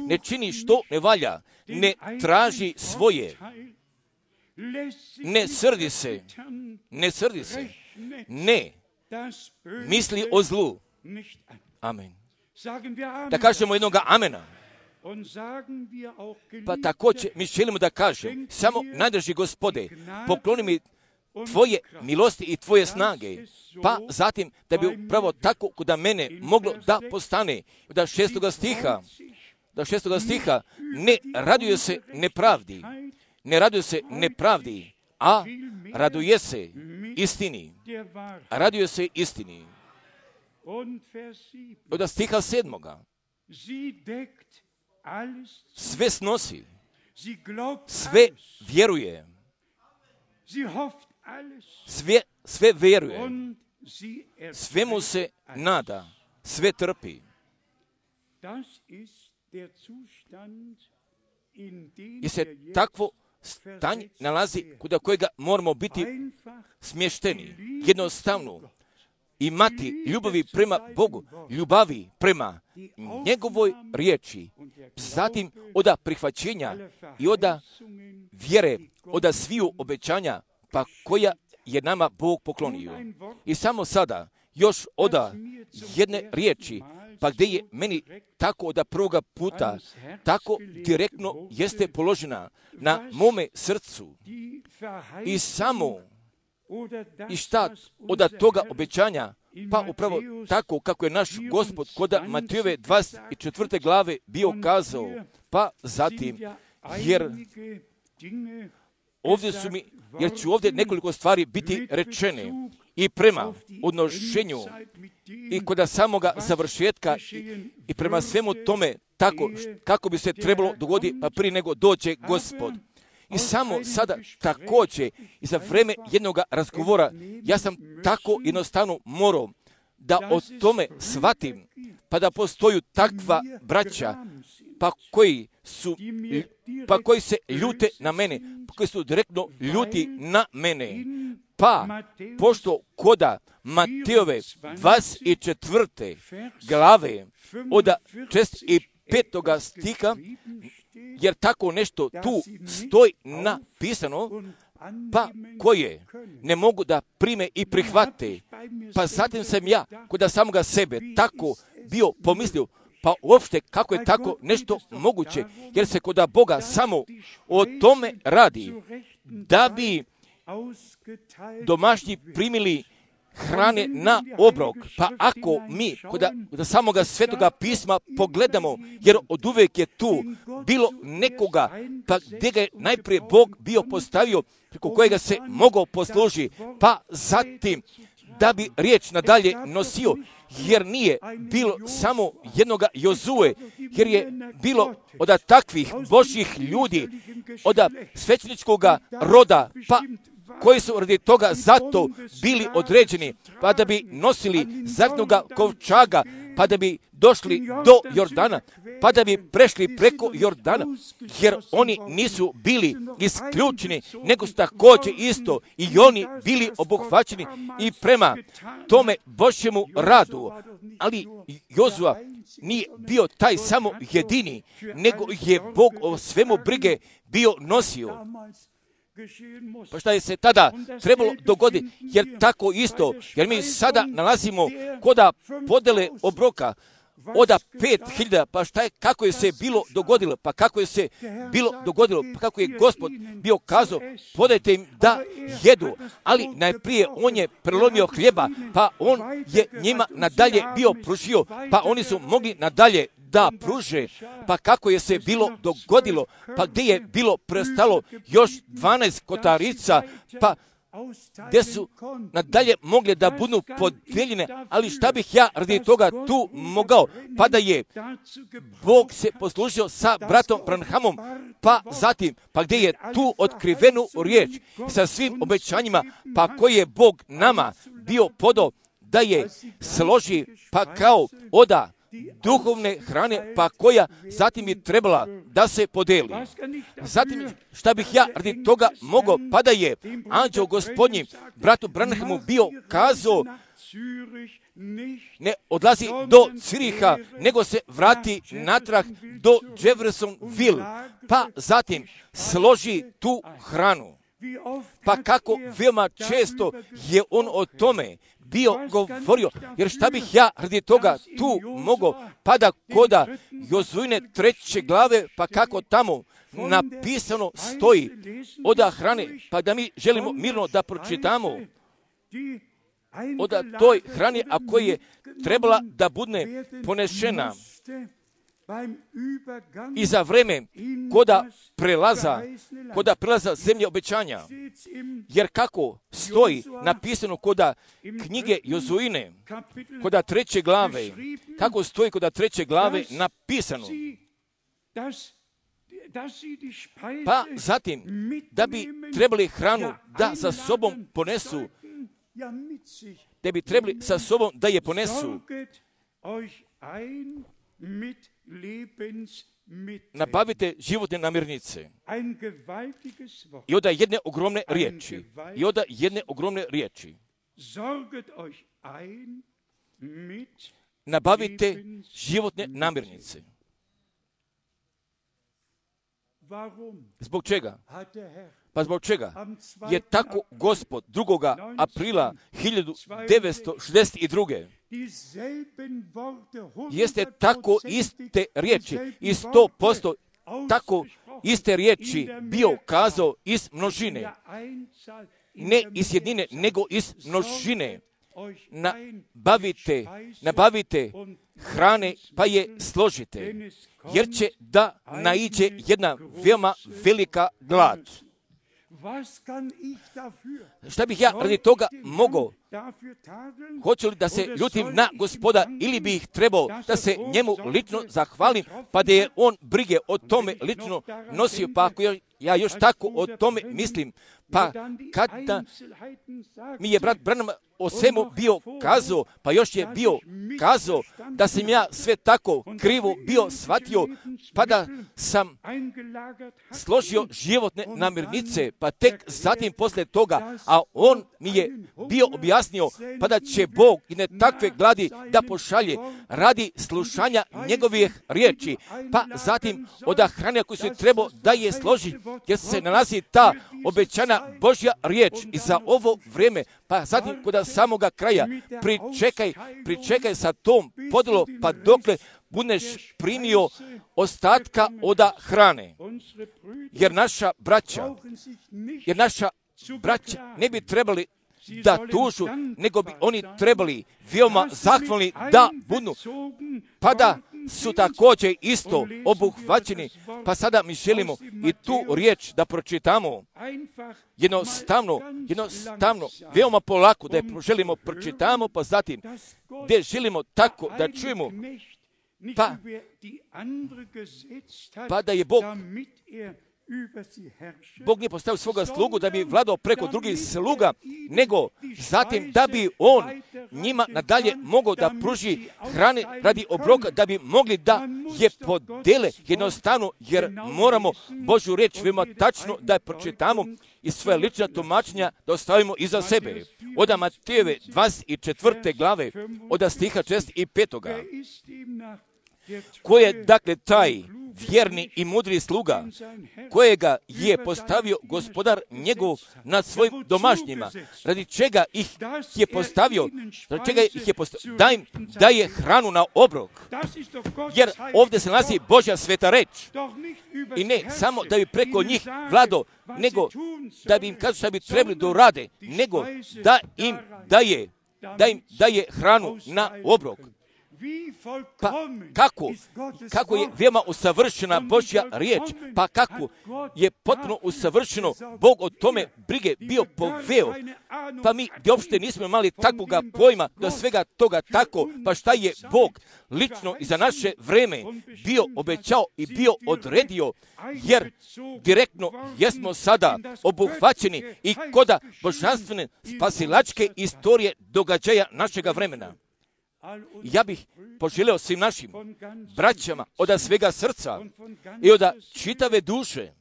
ne čini što ne valja, ne traži svoje, ne srdi se, ne srdi se, ne misli o zlu. Amen. Da kažemo jednoga amena. Pa također mi želimo da kažem, samo najdrži Gospode, pokloni mi Tvoje milosti i Tvoje snage, pa zatim da bi upravo tako kod mene moglo da postane, da šestoga stiha, da šestoga stiha, ne raduje se nepravdi, ne raduje se nepravdi, a raduje se istini, raduje se istini. Od stiha sedmoga, sve snosi, sve vjeruje, sve, sve vjeruje, svemu se nada, sve trpi. I se takvo stanje nalazi kod kojega moramo biti smješteni, jednostavno imati ljubavi prema Bogu, ljubavi prema njegovoj riječi, zatim oda prihvaćenja i oda vjere, oda sviju obećanja, pa koja je nama Bog poklonio. I samo sada još oda jedne riječi, pa gdje je meni tako od prvoga puta, tako direktno jeste položena na mome srcu. I samo i šta od toga obećanja, pa upravo tako kako je naš Gospod kod Matejove dvadeset četvrte glave bio kazao, pa zatim, jer ovdje su mi, jer ću ovdje nekoliko stvari biti rečene i prema odnošenju i kod samoga završetka i, i prema svemu tome tako kako bi se trebalo dogoditi prije nego dođe Gospod. I samo sada također i za vreme jednog razgovora ja sam tako jednostavno morao da o tome shvatim, pa da postoju takva braća, pa koji su, pa koji se ljute na mene, pa koji su direktno ljuti na mene. Pa, pošto koda Matejove dvadeset četvrte glave od šest i petoga stiha, jer tako nešto tu stoji napisano, pa koje ne mogu da prime i prihvate. Pa zatim sam ja kod samoga sebe tako bio pomislio, pa uopšte kako je tako nešto moguće, jer se kod Boga samo o tome radi, da bi domaćni primili hrane na obrok. Pa ako mi kod samoga svetoga pisma pogledamo, jer od uvijek je tu bilo nekoga, pa gdje ga je najprije Bog bio postavio, preko kojega se mogao poslužiti, pa zatim da bi riječ nadalje nosio, jer nije bilo samo jednoga Jozue, jer je bilo od takvih Božjih ljudi, od svećeničkog roda, pa koji su radi toga zato bili određeni, pa da bi nosili zavjetnoga kovčaga, pa da bi došli do Jordana, pa da bi prešli preko Jordana, jer oni nisu bili isključeni, nego su također isto i oni bili obuhvaćeni i prema tome Božjemu radu. Ali Jozua nije bio taj samo jedini, nego je Bog o svemu brige bio nosio. Pa šta je se tada trebalo dogoditi, jer tako isto, jer mi sada nalazimo koda podele obroka, oda pet hiljada, pa šta je, kako je se bilo dogodilo, pa kako je se bilo dogodilo, pa kako je Gospod bio kazao, podajte im da jedu, ali najprije on je prelomio hljeba, pa on je njima nadalje bio pružio, pa oni su mogli nadalje da pruže, pa kako je se bilo dogodilo, pa gdje je bilo prestalo još dvanaest kotarica, pa gdje su nadalje mogli da budu podijeljene, ali šta bih ja radi toga tu mogao, pa da je Bog se poslužio sa bratom Branhamom, pa zatim, pa gdje je tu otkrivenu riječ sa svim obećanjima, pa koji je Bog nama bio podao da je složi, pa kao oda duhovne hrane, pa koja zatim je trebala da se podeli. Zatim, šta bih ja radi toga mogao, pa da je anđeo gospodnji bratu Branhamu bio kazao, ne odlazi do Ciriha, nego se vrati natrag do Jeffersonville, pa zatim složi tu hranu. Pa kako veoma često je on o tome bio govorio, jer šta bih ja radi toga tu mogao, pa da koda Jozuine treće glave, pa kako tamo napisano stoji oda hrane, pa da mi želimo mirno da pročitamo oda toj hrani, a koja je trebala da bude ponešena i za vreme koda prelaza, koda prelaza zemlje obećanja. Jer kako stoji napisano koda knjige Jozuine, koda treće glave, kako stoji koda treće glave napisano, pa zatim da bi trebali hranu da sa sobom ponesu, da bi trebali sa sobom da je ponesu, nabavite životne namirnice. I onda jedne ogromne riječi. I onda jedne ogromne riječi. Nabavite životne namirnice. Zbog čega? Pa zbog čega je tako Gospod drugog aprila hiljadu devetsto šezdeset druge jeste tako iste riječi i sto posto tako iste riječi bio kazao iz množine, ne iz jednine, nego iz množine. Nabavite, nabavite hrane, pa je složite, jer će da naiđe jedna veoma velika glad. Šta bih ja radi toga mogao? Hoću li da se ljutim na Gospoda ili bih trebao da se njemu lično zahvalim, pa da je on brige o tome lično nosio, pa ako ja još tako o tome mislim, pa kada mi je brat Branham o svemu bio kazao, pa još je bio kazao da sam ja sve tako krivo bio shvatio, pa da sam složio životne namirnice, pa tek zatim posle toga, a on mi je bio objasnio, pa da će Bog i ne takve gladi da pošalje radi slušanja njegovih riječi, pa zatim od hrane koju se trebao da je složi, jer se nalazi ta obećana Božja riječ i za ovo vrijeme, pa zatim kod samoga kraja, pričekaj, pričekaj sa tom podelo, pa dokle budeš primio ostatka od hrane. Jer naša braća, jer naša braća ne bi trebali da tužu, nego bi oni trebali veoma zahvalni da budu, pa da su također isto obuhvaćeni, pa sada mi želimo i tu riječ da pročitamo jednostavno, jednostavno, veoma polako da je želimo pročitamo, pa zatim gdje želimo tako da čujemo, pa, pa da je Bog Bog nije postavio svoga slugu da bi vladao preko drugih sluga, nego zatim da bi on njima nadalje mogao da pruži hrane radi obroka, da bi mogli da je podele jednostavno, jer moramo Božju riječ veoma tačno da je pročitamo i svoje lična tumačenja da ostavimo iza sebe. Od Matejeve dvadeset četvrte glave, od stiha šezdeset pet. Ko je, dakle, taj vjerni i mudri sluga, kojega je postavio gospodar njegov nad svojim domašnjima, radi čega ih je postavio, radi čega ih je postavio, da im daje hranu na obrok, jer ovdje se nalazi Božja sveta reč. I ne samo da bi preko njih vlado, nego da bi im kazao šta bi trebali da urade, nego da im daje, da im daje hranu na obrok. Pa kako, kako je veoma usavršena Božja riječ, pa kako je potpuno usavršeno Bog o tome brige bio poveo, pa mi uopšte nismo imali takvoga pojma do svega toga tako, pa šta je Bog lično i za naše vreme bio obećao i bio odredio, jer direktno jesmo sada obuhvaćeni i koda božanstvene spasilačke istorije događaja našega vremena. Ja bih poželeo svim našim braćama od svega srca i od čitave duše,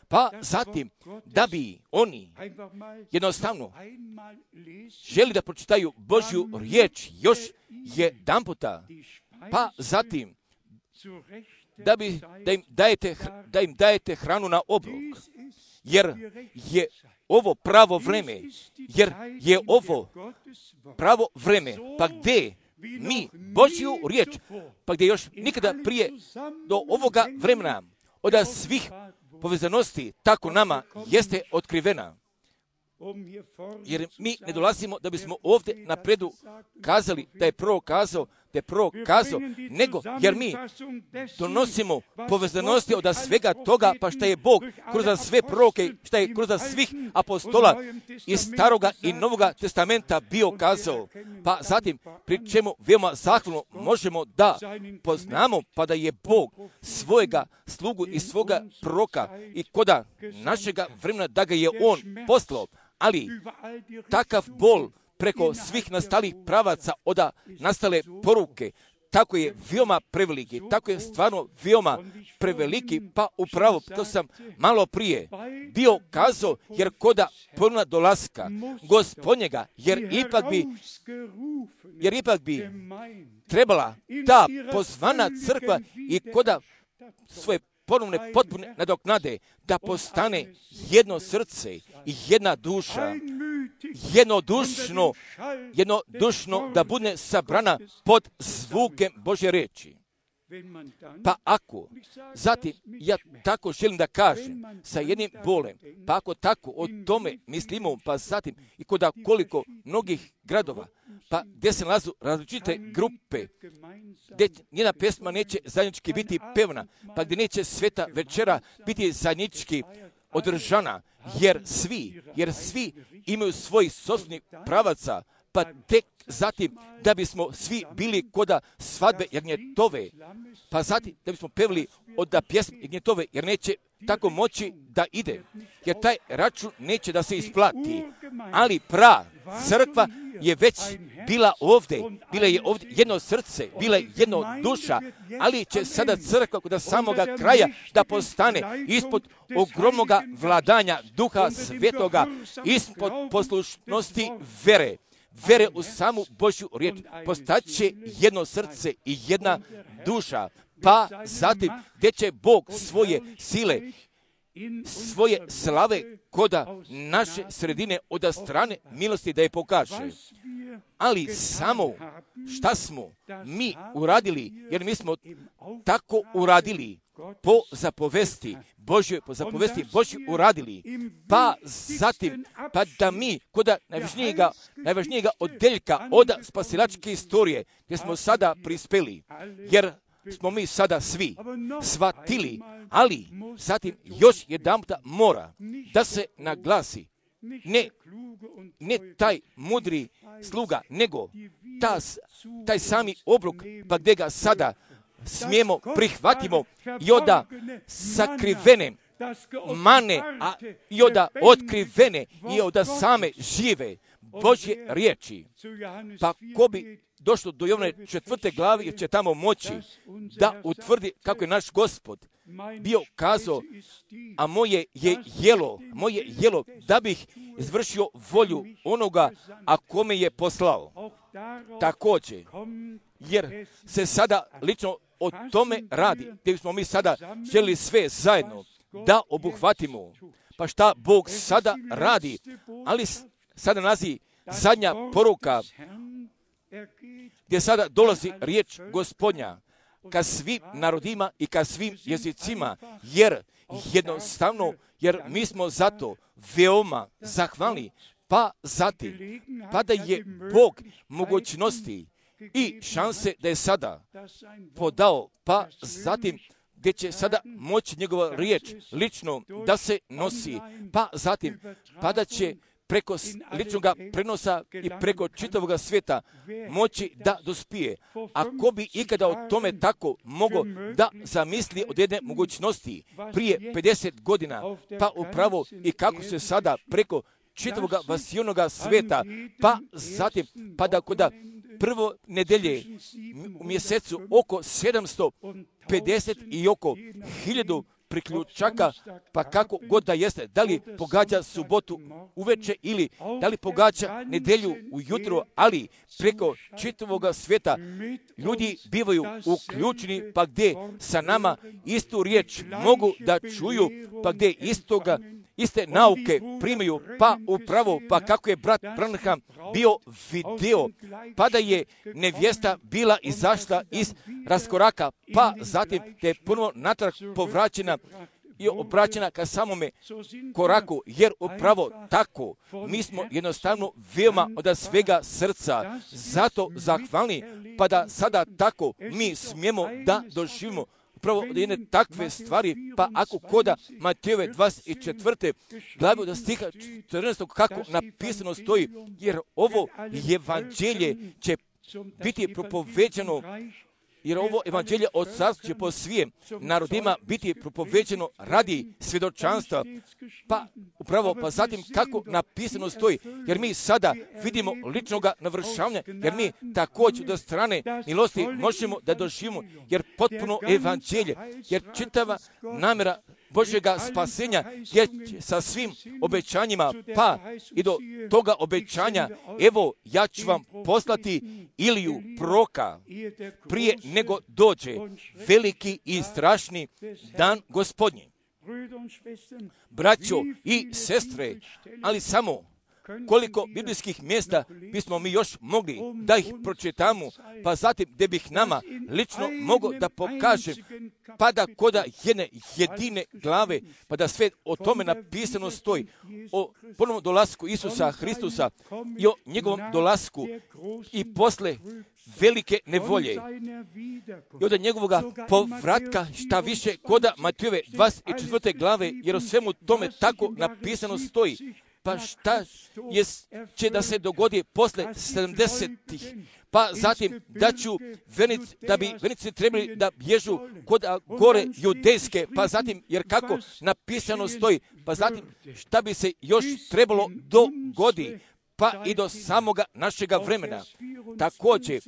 pa zatim da bi oni jednostavno želi da pročitaju Božju riječ još jedanputa, pa zatim da, bi, da, im dajete, da im dajete hranu na obrok, jer je ovo pravo vreme, jer je ovo pravo vreme, pa gdje mi Božju riječ, pa gdje još nikada prije do ovoga vremena od svih povezanosti tako nama jeste otkrivena. Jer mi ne dolazimo da bismo ovdje napredu kazali da je prorok kazao, da je prorok kazao, nego jer mi donosimo povezanosti od svega toga, pa šta je Bog kroz sve proroke, šta je kroz svih apostola iz Staroga i Novoga testamenta bio kazao. Pa zatim, pri čemu veoma zahvalno možemo da poznamo, pa da je Bog svojega slugu i svoga proroka i koda našega vremena da ga je on poslao. Ali takav bol preko svih nastalih pravaca od nastale poruke, tako je veoma preveliki, tako je stvarno veoma preveliki, pa upravo to sam malo prije bio kazao, jer koda ponovna dolaska Gospodnjega, jer ipak bi, jer ipak bi trebala ta pozvana crkva i koda svoje ponovne potpune nadoknade da postane jedno srce i jedna duša, jednodušno, jednodušno da bude sabrana pod zvukem Božje reči. Pa ako, zatim ja tako želim da kažem sa jednim bolem, pa ako tako o tome mislimo, pa zatim i koda koliko mnogih gradova, pa gdje se nalazu različite grupe, gdje njena pesma neće zajednički biti pevna, pa gdje neće sveta večera biti zajednički održana, jer svi, jer svi imaju svoj sopstveni pravaca, pa tek zatim da bismo svi bili koda svadbe jagnjetove, pa zatim da bismo pevali od da pjesme jagnjetove, jer neće tako moći da ide, jer taj račun neće da se isplati. Ali pra crkva je već bila ovdje, bila je ovdje jedno srce, bila je jedno duša, ali će sada crkva kod samoga kraja da postane ispod ogromnoga vladanja Duha Svetoga, ispod poslušnosti vere. Vere u samu Božju riječ, postaće jedno srce i jedna duša, pa zatim gdje će Bog svoje sile, svoje slave koda naše sredine od strane milosti da je pokaže. Ali samo šta smo mi uradili, jer mi smo tako uradili po zapovesti Božjoj, po zapovesti Božjoj uradili, pa zatim, pa da mi koda najvažnijega, najvažnijega odjeljka od spasilačke istorije, gdje smo sada prispeli, jer smo mi sada svi shvatili, ali zatim još jedanputa mora da se naglasi, ne, ne taj mudri sluga, nego ta, taj sami obrok, pa gdje ga sada smijemo, prihvatimo i oda sakrivene mane, a i oda otkrivene i oda same žive Božje riječi. Pa ko bi došlo do Jovane četvrte glavi, jer će tamo moći da utvrdi kako je naš Gospod bio kazao, a moje je jelo, moje jelo da bih izvršio volju onoga, a kome je poslao. Također, jer se sada lično o tome radi, gdje bismo mi sada želi sve zajedno da obuhvatimo. Pa šta Bog sada radi, ali sada nalazi zadnja poruka, gdje sada dolazi riječ Gospodnja ka svim narodima i ka svim jezicima, jer jednostavno, jer mi smo zato veoma zahvalni, pa zatim, pa da je Bog mogućnosti i šanse da je sada podao, pa zatim gdje će sada moći njegova riječ lično da se nosi, pa zatim, pa da će preko ličnog prenosa i preko čitavog svijeta moći da dospije. Ako bi ikada o tome tako mogo da zamisli od jedne mogućnosti prije pedeset godina, pa upravo i kako se sada preko čitavog vasijonoga svijeta, pa zatim, pa da kod prvo nedelje u mjesecu oko sedamsto pedeset i oko hiljadu priključaka, pa kako god da jeste, da li pogađa subotu uveče ili da li pogađa nedelju ujutro, ali preko čitavog svijeta ljudi bivaju uključeni, pa gdje sa nama istu riječ mogu da čuju, pa gdje istoga iste nauke primaju, pa upravo, pa kako je brat Branham bio video, pa da je nevjesta bila izašla iz raskoraka, pa zatim te je ponovo natrag povraćena i obraćena ka samome koraku, jer upravo tako mi smo jednostavno veoma od svega srca zato zahvalni, pa da sada tako mi smijemo da doživimo upravo od jedne takve stvari, pa ako koda Matejove dvadeset četvrte glave od stiha četrnaestog kako napisano stoji, jer ovo evanđelje će biti propoveđeno, jer ovo evanđelje od carstva će po svijem narodima biti propoveđeno radi svjedočanstva, pa upravo, pa zatim kako napisano stoji, jer mi sada vidimo ličnog navršavanja, jer mi također do strane milosti možemo da doživimo, jer potpuno evanđelje, jer čitava namjera Božjega spasenja je sa svim obećanjima, pa i do toga obećanja, evo ja ću vam poslati Iliju proroka prije nego dođe veliki i strašni dan Gospodnji. Braćo i sestre, ali samo koliko biblijskih mjesta bismo mi još mogli da ih pročitamo, pa zatim gdje bih nama lično mogo da pokažem, pa da koda jedne jedine glave, pa da sve o tome napisano stoji, o ponovnom dolasku Isusa Hristusa i o njegovom dolasku i posle velike nevolje i od njegovog povratka, šta više koda Matejove dvadeset četvrte glave, jer o svemu tome tako napisano stoji. Pa šta je, će da se dogodi posle sedamdesetih, pa zatim da ću vernic, da bi vernici trebali da bježu kod gore judejske, pa zatim, jer kako napisano stoji, pa zatim šta bi se još trebalo dogodi, pa i do samoga našega vremena. Također,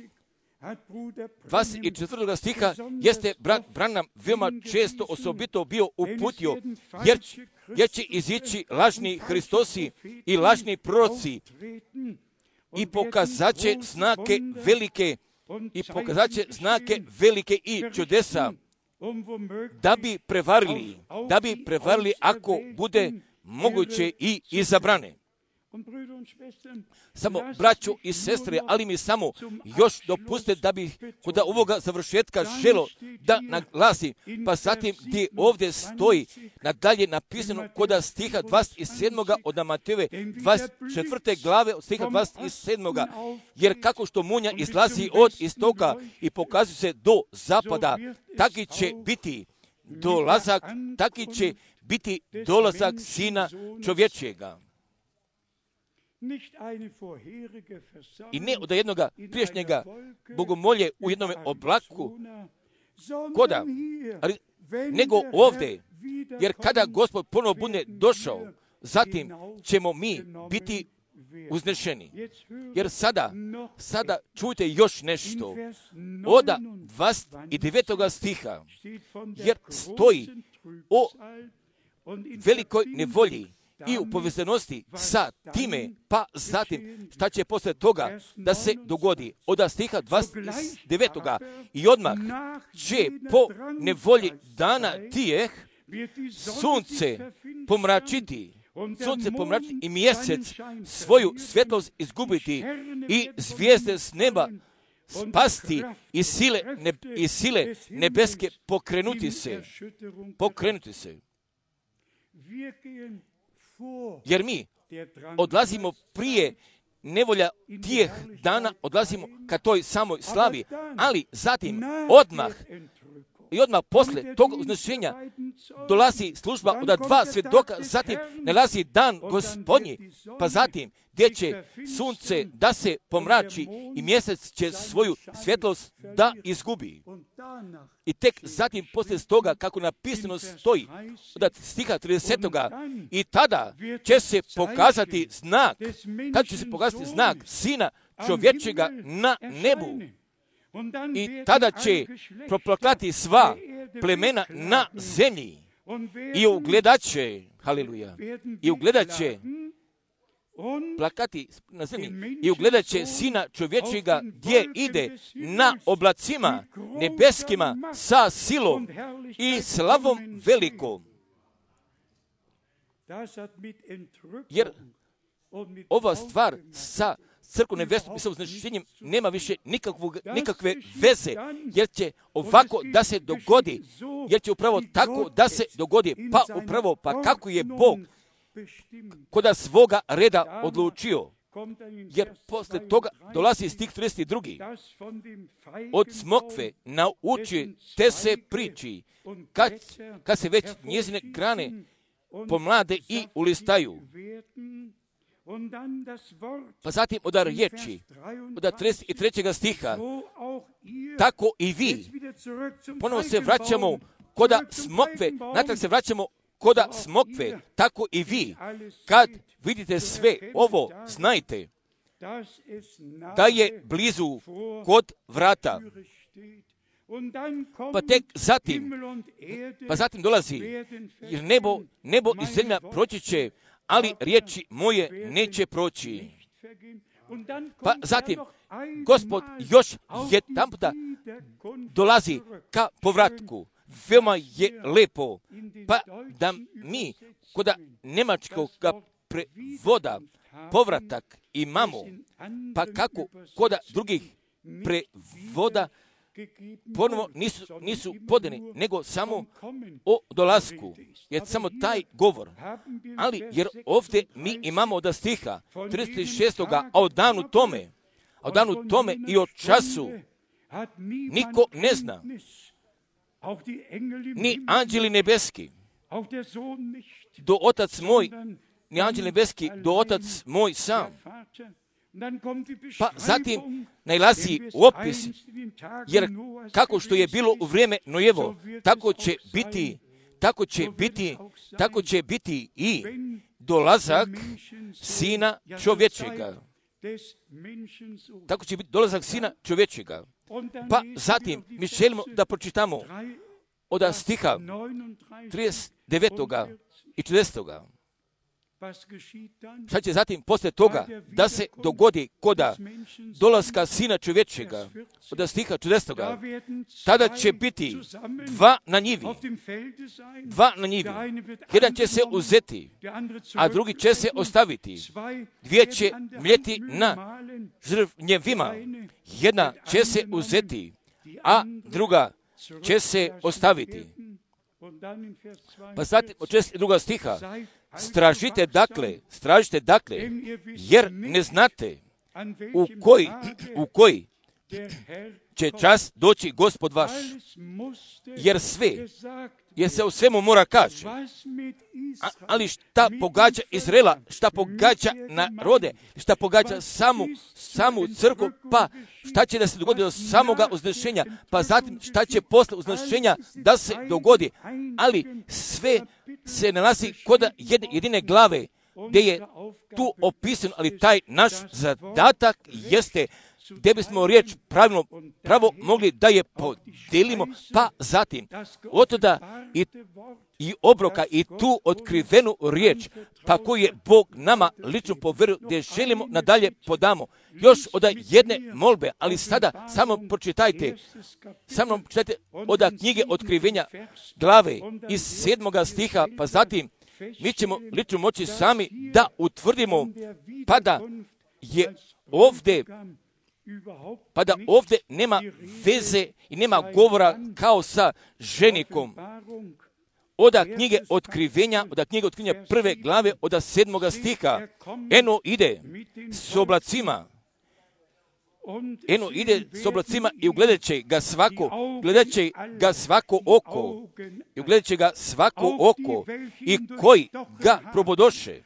dvadeset četvrtog stiha jeste brat Branham veoma često osobito bio uputio, jer, jer će izići lažni Hristosi i lažni proroci i pokazaće znake velike i pokazaće znake velike i čudesa da bi prevarili, da bi prevarili ako bude moguće i izabrane. Samo braćo i sestre, ali mi samo još dopuste da bi kod ovoga završetka želo da naglasi, pa zatim gdje ovdje stoji nadalje napisano kod stiha dvadeset sedam od Matejove dvadeset četvrte glave od stiha dvadeset sedam, jer kako što munja izlazi od istoka i pokazuje se do zapada, taki će biti dolazak, taki će biti dolazak Sina čovječjega. I ne od jednog priješnjega bogomolje u jednom oblaku koda, ali, nego ovdje, jer kada Gospod ponovo bude došao, zatim ćemo mi biti uznešeni. Jer sada, sada čujte još nešto od dvadeset devetog stiha, jer stoji o velikoj nevolji i u povezanosti sa time, pa zatim šta će posle toga da se dogodi. Od stiha dvadeset devetog i odmah će po nevolji dana tijeh sunce pomračiti, sunce pomračiti i mjesec svoju svjetlost izgubiti i zvijezde s neba spasti i sile, ne, i sile nebeske pokrenuti se, pokrenuti se. Jer mi odlazimo prije nevolja tijeh dana, odlazimo ka toj samoj slavi, ali zatim odmah i odmah posle tog uznešenja dolazi služba od dva svjedoka, zatim nalazi dan Gospodnji, pa zatim gdje će sunce da se pomrači i mjesec će svoju svjetlost da izgubi. I tek zatim poslije toga, kako napisano stoji od stiha tridesetog i tada će se pokazati znak, tada će se pokazati znak Sina čovječega na nebu. I tada će proplakati sva plemena na zemlji i ugledat će, haleluja, i ugledat će plakati na zemlji i ugledat će Sina čovječega gdje ide na oblacima nebeskima sa silom i slavom velikom. Jer ova stvar sa crkvom nebeskom i sa uznešenjem nema više nikakvog, nikakve veze, jer će ovako da se dogodi, jer će upravo tako da se dogodi, pa upravo pa kako je Bog koda svoga reda odlučio. Jer posle toga dolazi stih trideset drugi. Od smokve naučite se priči, kad, kad se već njezine grane pomlade i ulistaju. Pa zatim od riječi, od trideset trećeg stiha, tako i vi. Ponovo se vraćamo koda smokve, natrag se vraćamo koda smokve, tako i vi. Kad vidite sve ovo, znajte da je blizu kod vrata. Pa tek zatim, pa zatim dolazi, jer nebo, nebo i zemlja proći će, ali riječi moje neće proći. Pa zatim, Gospod još jedan puta dolazi ka povratku. Veoma je lepo, pa da mi kod nemačkog prevoda povratak imamo, pa kako kod drugih prevoda ponovo nisu, nisu podani, nego samo o dolasku, jer samo taj govor. Ali jer ovdje mi imamo od stiha trideset šestog a o danu tome, a o danu tome i o času niko ne zna, ni anđeli nebeski, do otac moj, ni anđeli nebeski, do otac moj sam. Pa zatim najlazi u opis, jer kako što je bilo u vrijeme Nojevo, tako će biti, tako će biti, tako će biti i dolazak Sina čovječega. Tako će biti dolazak Sina čovječega. Pa zatim mi želimo da pročitamo od stiha trideset devetog i četrdesetog Šta će zatim posle toga da se dogodi koda dolaska Sina čovječega od stiha četrdesetog Tada će biti dva na njivi, dva na njivi. Jedan će se uzeti, a drugi će se ostaviti. Dvije će mljeti na žrvnjevima. Jedna će se uzeti, a druga će se ostaviti. Pa zatim od četrdeset drugog stiha. Stražite dakle, stražite dakle, jer ne znate u koji, u koji će čas doći Gospod vaš, jer sve, jer se o svemu mora kaži. A, ali šta pogađa Izraela, šta pogađa narode, šta pogađa samu, samu crkvu, pa šta će da se dogodi do samoga uznešenja, pa zatim šta će posle uznešenja da se dogodi, ali sve se nalazi kod jedne, jedine glave, gdje je tu opisan, ali taj naš zadatak jeste gdje bismo riječ pravilno, pravo mogli da je podijelimo, pa zatim otuda i, i obroka i tu otkrivenu riječ, pa koju je Bog nama lično poverio, gdje želimo nadalje podamo. Još od jedne molbe, ali sada samo pročitajte, samo pročitajte od knjige Otkrivenja glave iz sedmoga stiha, pa zatim mi ćemo lično moći sami da utvrdimo, pa da je ovdje, pa da ovdje nema veze i nema govora kao sa ženikom. Oda knjige Otkrivenja, oda knjige Otkrivenja prve glave, oda sedmoga stiha. Eno ide s oblacima, eno ide s oblacima i ugledat će ga svako, gledat će ga svako oko, i ugledat će ga svako oko, i koji ga probodoše,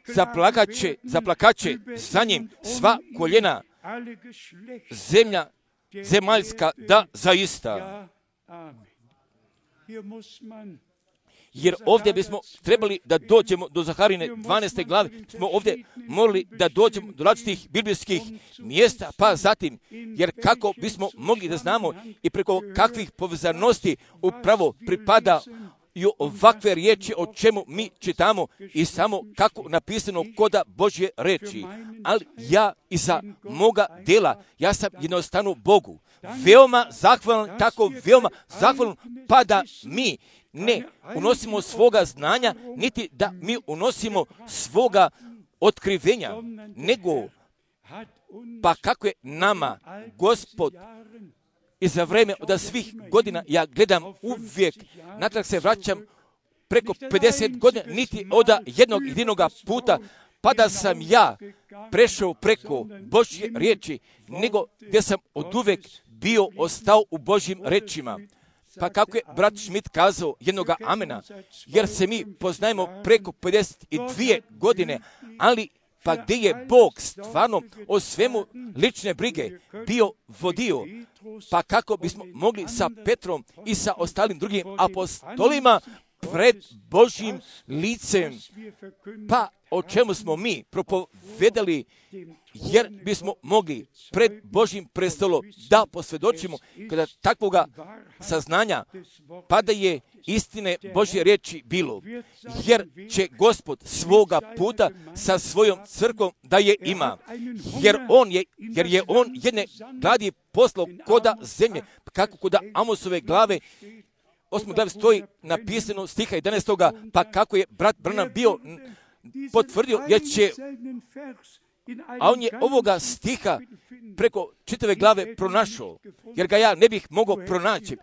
zaplakaće, zaplakaće za njim sva koljena, zemlja zemaljska, da zaista. Jer ovdje bismo trebali da dođemo do Zaharine dvanaeste glave, smo ovdje morali da dođemo do različitih biblijskih mjesta, pa zatim, jer kako bismo mogli da znamo i preko kakvih povezanosti upravo pripada i ovakve riječi o čemu mi čitamo i samo kako napisano koda Božje reči. Ali ja iza moga dela, ja sam jednostavno Bogu veoma zahvalan, tako veoma zahvalan, pa da mi ne unosimo svoga znanja, niti da mi unosimo svoga otkrivenja, nego pa kako je nama Gospod i za vreme od svih godina, ja gledam uvijek, natrag se vraćam preko pedeset godina, niti od jednog jedinoga puta, pa da sam ja prešao preko Božje riječi, nego gdje sam oduvijek bio ostao u Božjim rečima. Pa kako je brat Schmidt kazao jednoga amena, jer se mi poznajemo preko pedeset dvije godine, ali pa gdje je Bog stvarno o svemu lične brige bio vodio, pa kako bismo mogli sa Petrom i sa ostalim drugim apostolima pred Božjim licem, pa o čemu smo mi propovedali, jer bismo mogli pred Božjim prestolom da posvjedočimo kada takvoga saznanja, pa da je istine Božje riječi bilo, jer će Gospod svoga puta sa svojom crkvom da je ima, jer on je, jer je on jedne gladi poslao koda zemlje, kako koda Amosove glave, osme glave stoji napisano stiha jedanaestoga, pa kako je brat Branham bio potvrdio, jer će, a on je ovoga stiha preko čitave glave pronašao, jer ga ja ne bih mogao pronaći,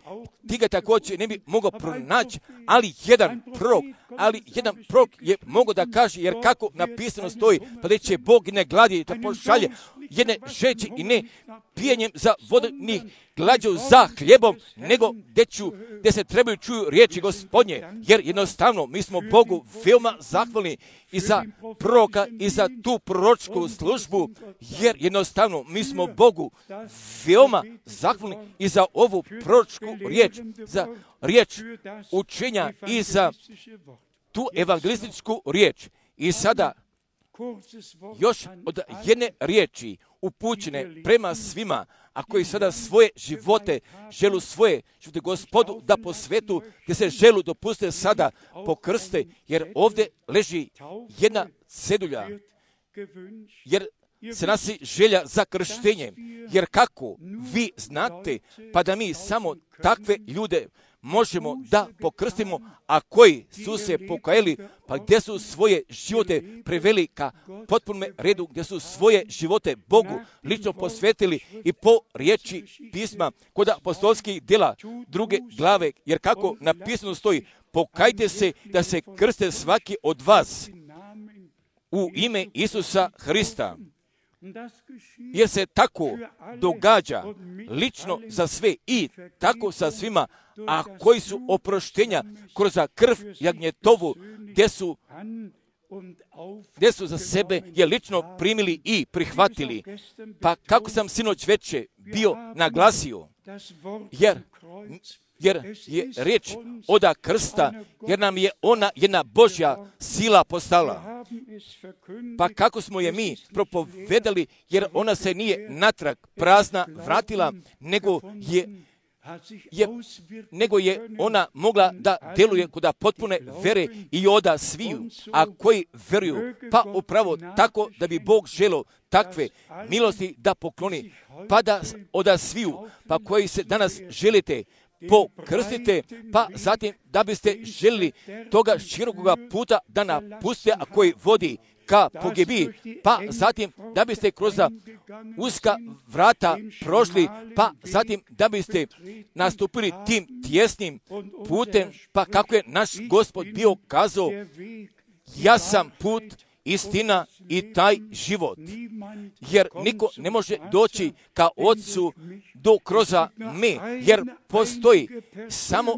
ti ga također ne bih mogao pronaći, ali jedan prorok, ali jedan prorok je mogao da kaže, jer kako napisano stoji, pa da će Bog ne gladi da pošalje jedne žeći i ne pijenjem za vodnih glađu za hljebom, nego gdje, ću, gdje se trebaju čuju riječi Gospodnje, jer jednostavno mi smo Bogu veoma zahvalni i za proroka i za tu proročku službu, jer jednostavno mi smo Bogu veoma zahvalni i za ovu proročku riječ, za riječ učenja i za tu evangelističku riječ. I sada još od jedne riječi upućene prema svima, a koji sada svoje živote želu svoje živote Gospodu da po svetu, gdje se želu dopuste sada pokrste, jer ovdje leži jedna cedulja, jer se nasi želja za krštenje, jer kako vi znate, pa da mi samo takve ljude možemo da pokrstimo, a koji su se pokajali, pa gdje su svoje živote preveli ka potpunome redu, gdje su svoje živote Bogu lično posvetili i po riječi pisma kod apostolskih djela druge glave, jer kako napisano stoji, pokajte se da se krste svaki od vas u ime Isusa Hrista. Jer se tako događa lično za sve i tako sa svima, a koji su oproštenja kroz krv jagnjetovu, gdje su, gdje su za sebe je lično primili i prihvatili. Pa kako sam sinoć veče bio naglasio, jer jer je riječ oda krsta, jer nam je ona jedna Božja sila postala. Pa kako smo je mi propovedali, jer ona se nije natrag prazna vratila, nego je, je, nego je ona mogla da djeluje kod potpune vere i oda sviju, a koji veruju, pa upravo tako da bi Bog želio takve milosti da pokloni, pa da oda sviju, pa koji se danas želite pokrstite, pa zatim da biste želili toga širokoga puta da napustite, a koji vodi ka pogibiji, pa zatim da biste kroz uska vrata prošli, pa zatim da biste nastupili tim tjesnim putem, pa kako je naš Gospod bio kazao, ja sam put, istina i taj život, jer niko ne može doći ka Otcu do kroza me, jer postoji samo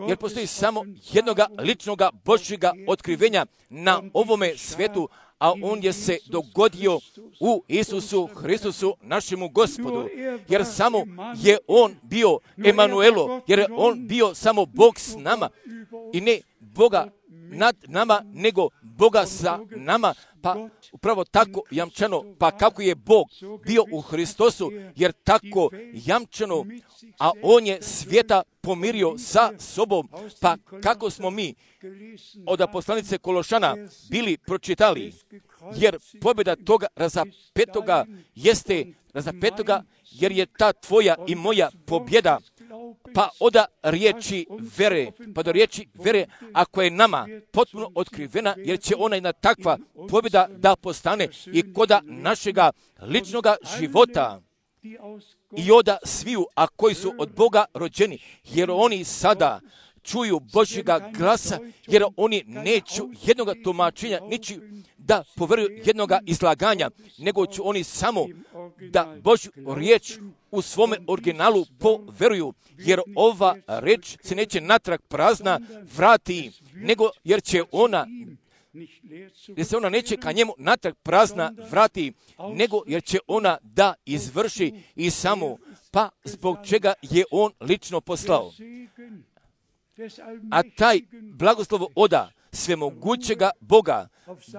jer postoji samo jednoga ličnoga Božjega otkrivenja na ovome svetu, a on je se dogodio u Isusu Hristusu, našemu Gospodu, jer samo je on bio Emanuelo, jer je on bio samo Bog s nama i ne Boga nad nama, nego Boga sa nama, pa upravo tako jamčano, pa kako je Bog bio u Hristosu, jer tako jamčano, a on je svijeta pomirio sa sobom, pa kako smo mi od poslanice Kološana bili pročitali, jer pobjeda toga razapetoga jeste razapetoga, jer je ta tvoja i moja pobjeda, pa oda riječi vere, pa do riječi vere, ako je nama potpuno otkrivena, jer će ona jedna takva pobjeda da postane i koda našega ličnoga života i oda sviju, a koji su od Boga rođeni, jer oni sada čuju Božjega glasa, jer oni neću jednoga tumačenja, nići da poveruju jednoga izlaganja, nego ću oni samo da Božju riječ u svome originalu poveruju, jer ova riječ se neće natrag prazna vrati, nego jer će ona, jer se ona neće ka njemu natrag prazna vrati, nego jer će ona da izvrši i samo, pa zbog čega je on lično poslao. A taj blagoslovo oda svemogućega Boga,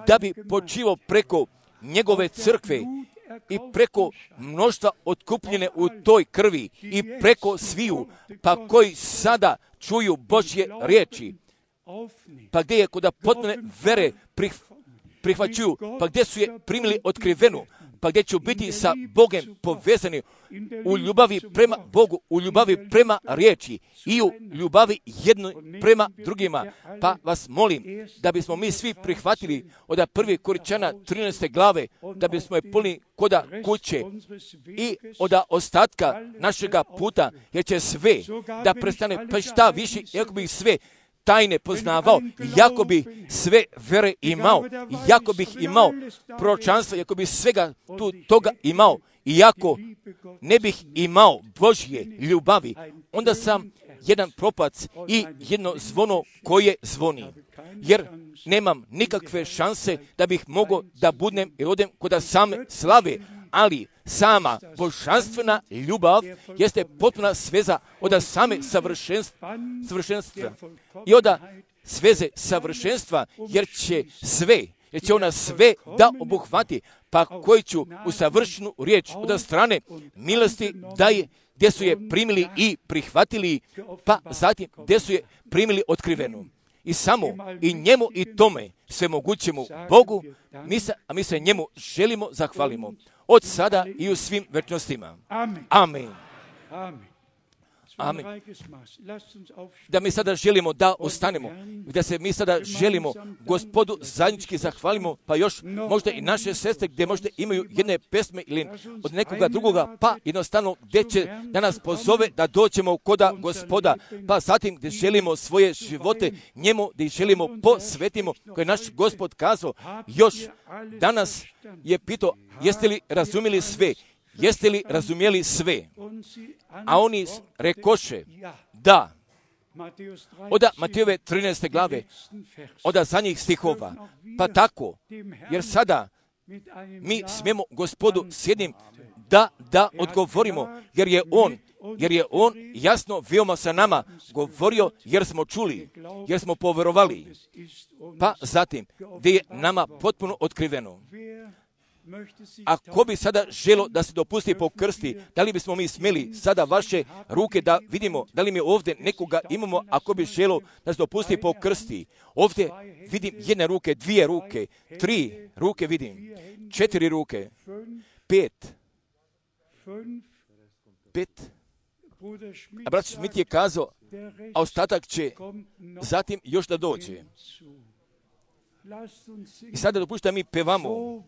da bi počivao preko njegove crkve i preko mnoštva otkupljene u toj krvi i preko sviju, pa koji sada čuju Božje riječi, pa gdje je kod potpune vere prihvaćuju, pa gdje su je primili otkrivenu, pa gdje ću biti sa Bogem povezani u ljubavi prema Bogu, u ljubavi prema riječi i u ljubavi jednoj prema drugima. Pa vas molim da bismo mi svi prihvatili od prvi Koričana trinaeste glave, da bismo je puni koda kuće i od ostatka našega puta, jer će sve da prestane, pa šta više, jako bi sve tajne poznavao, jako bi sve vere imao, jako bih imao proročanstva, jako bi svega tu toga imao, iako ne bih imao Božje ljubavi, onda sam jedan propac i jedno zvono koje zvoni, jer nemam nikakve šanse da bih mogao da budem i odem kod same slave, ali sama božanstvena ljubav jeste potpuna sveza od same savršenstva, savršenstva i od sveze savršenstva, jer će sve, jer će ona sve da obuhvati, pa koji ću u savršenu riječ od strane milosti daje, gdje su je primili i prihvatili, pa zatim gdje su je primili otkrivenu. I samo i njemu i tome svemogućemu Bogu, mi se, a mi se njemu želimo zahvalimo od sada i u svim večnostima. Amen. Amen. Da mi sada želimo da ostanemo, da se mi sada želimo Gospodu zajednički zahvalimo, pa još možda i naše sestre gdje možda imaju jedne pesme ili od nekoga drugoga, pa jednostavno gdje će da nas pozove da dođemo koda Gospoda, pa zatim gdje želimo svoje živote njemu, gdje želimo posvetimo, koje je naš Gospod kazao, još danas je pitao, jeste li razumjeli sve? Jeste li razumjeli sve? A oni rekoše, da. Oda Matejove trinaeste glave, oda zadnjih stihova. Pa tako, jer sada mi smijemo Gospodu s jednim da, da odgovorimo, jer je on jer je on jasno veoma sa nama govorio, jer smo čuli, jer smo poverovali. Pa zatim, gdje je nama potpuno otkriveno. A ko bi sada želo da se dopusti pokrsti, da li bismo mi smjeli sada vaše ruke da vidimo, da li mi ovdje nekoga imamo, ako bi želo da se dopusti pokrsti. Ovdje vidim jedne ruke, dvije ruke, tri ruke vidim, četiri ruke, pet, pet. A brat Schmidt je kazao, a ostatak će zatim još da dođe. I sada dopustite da mi pevamo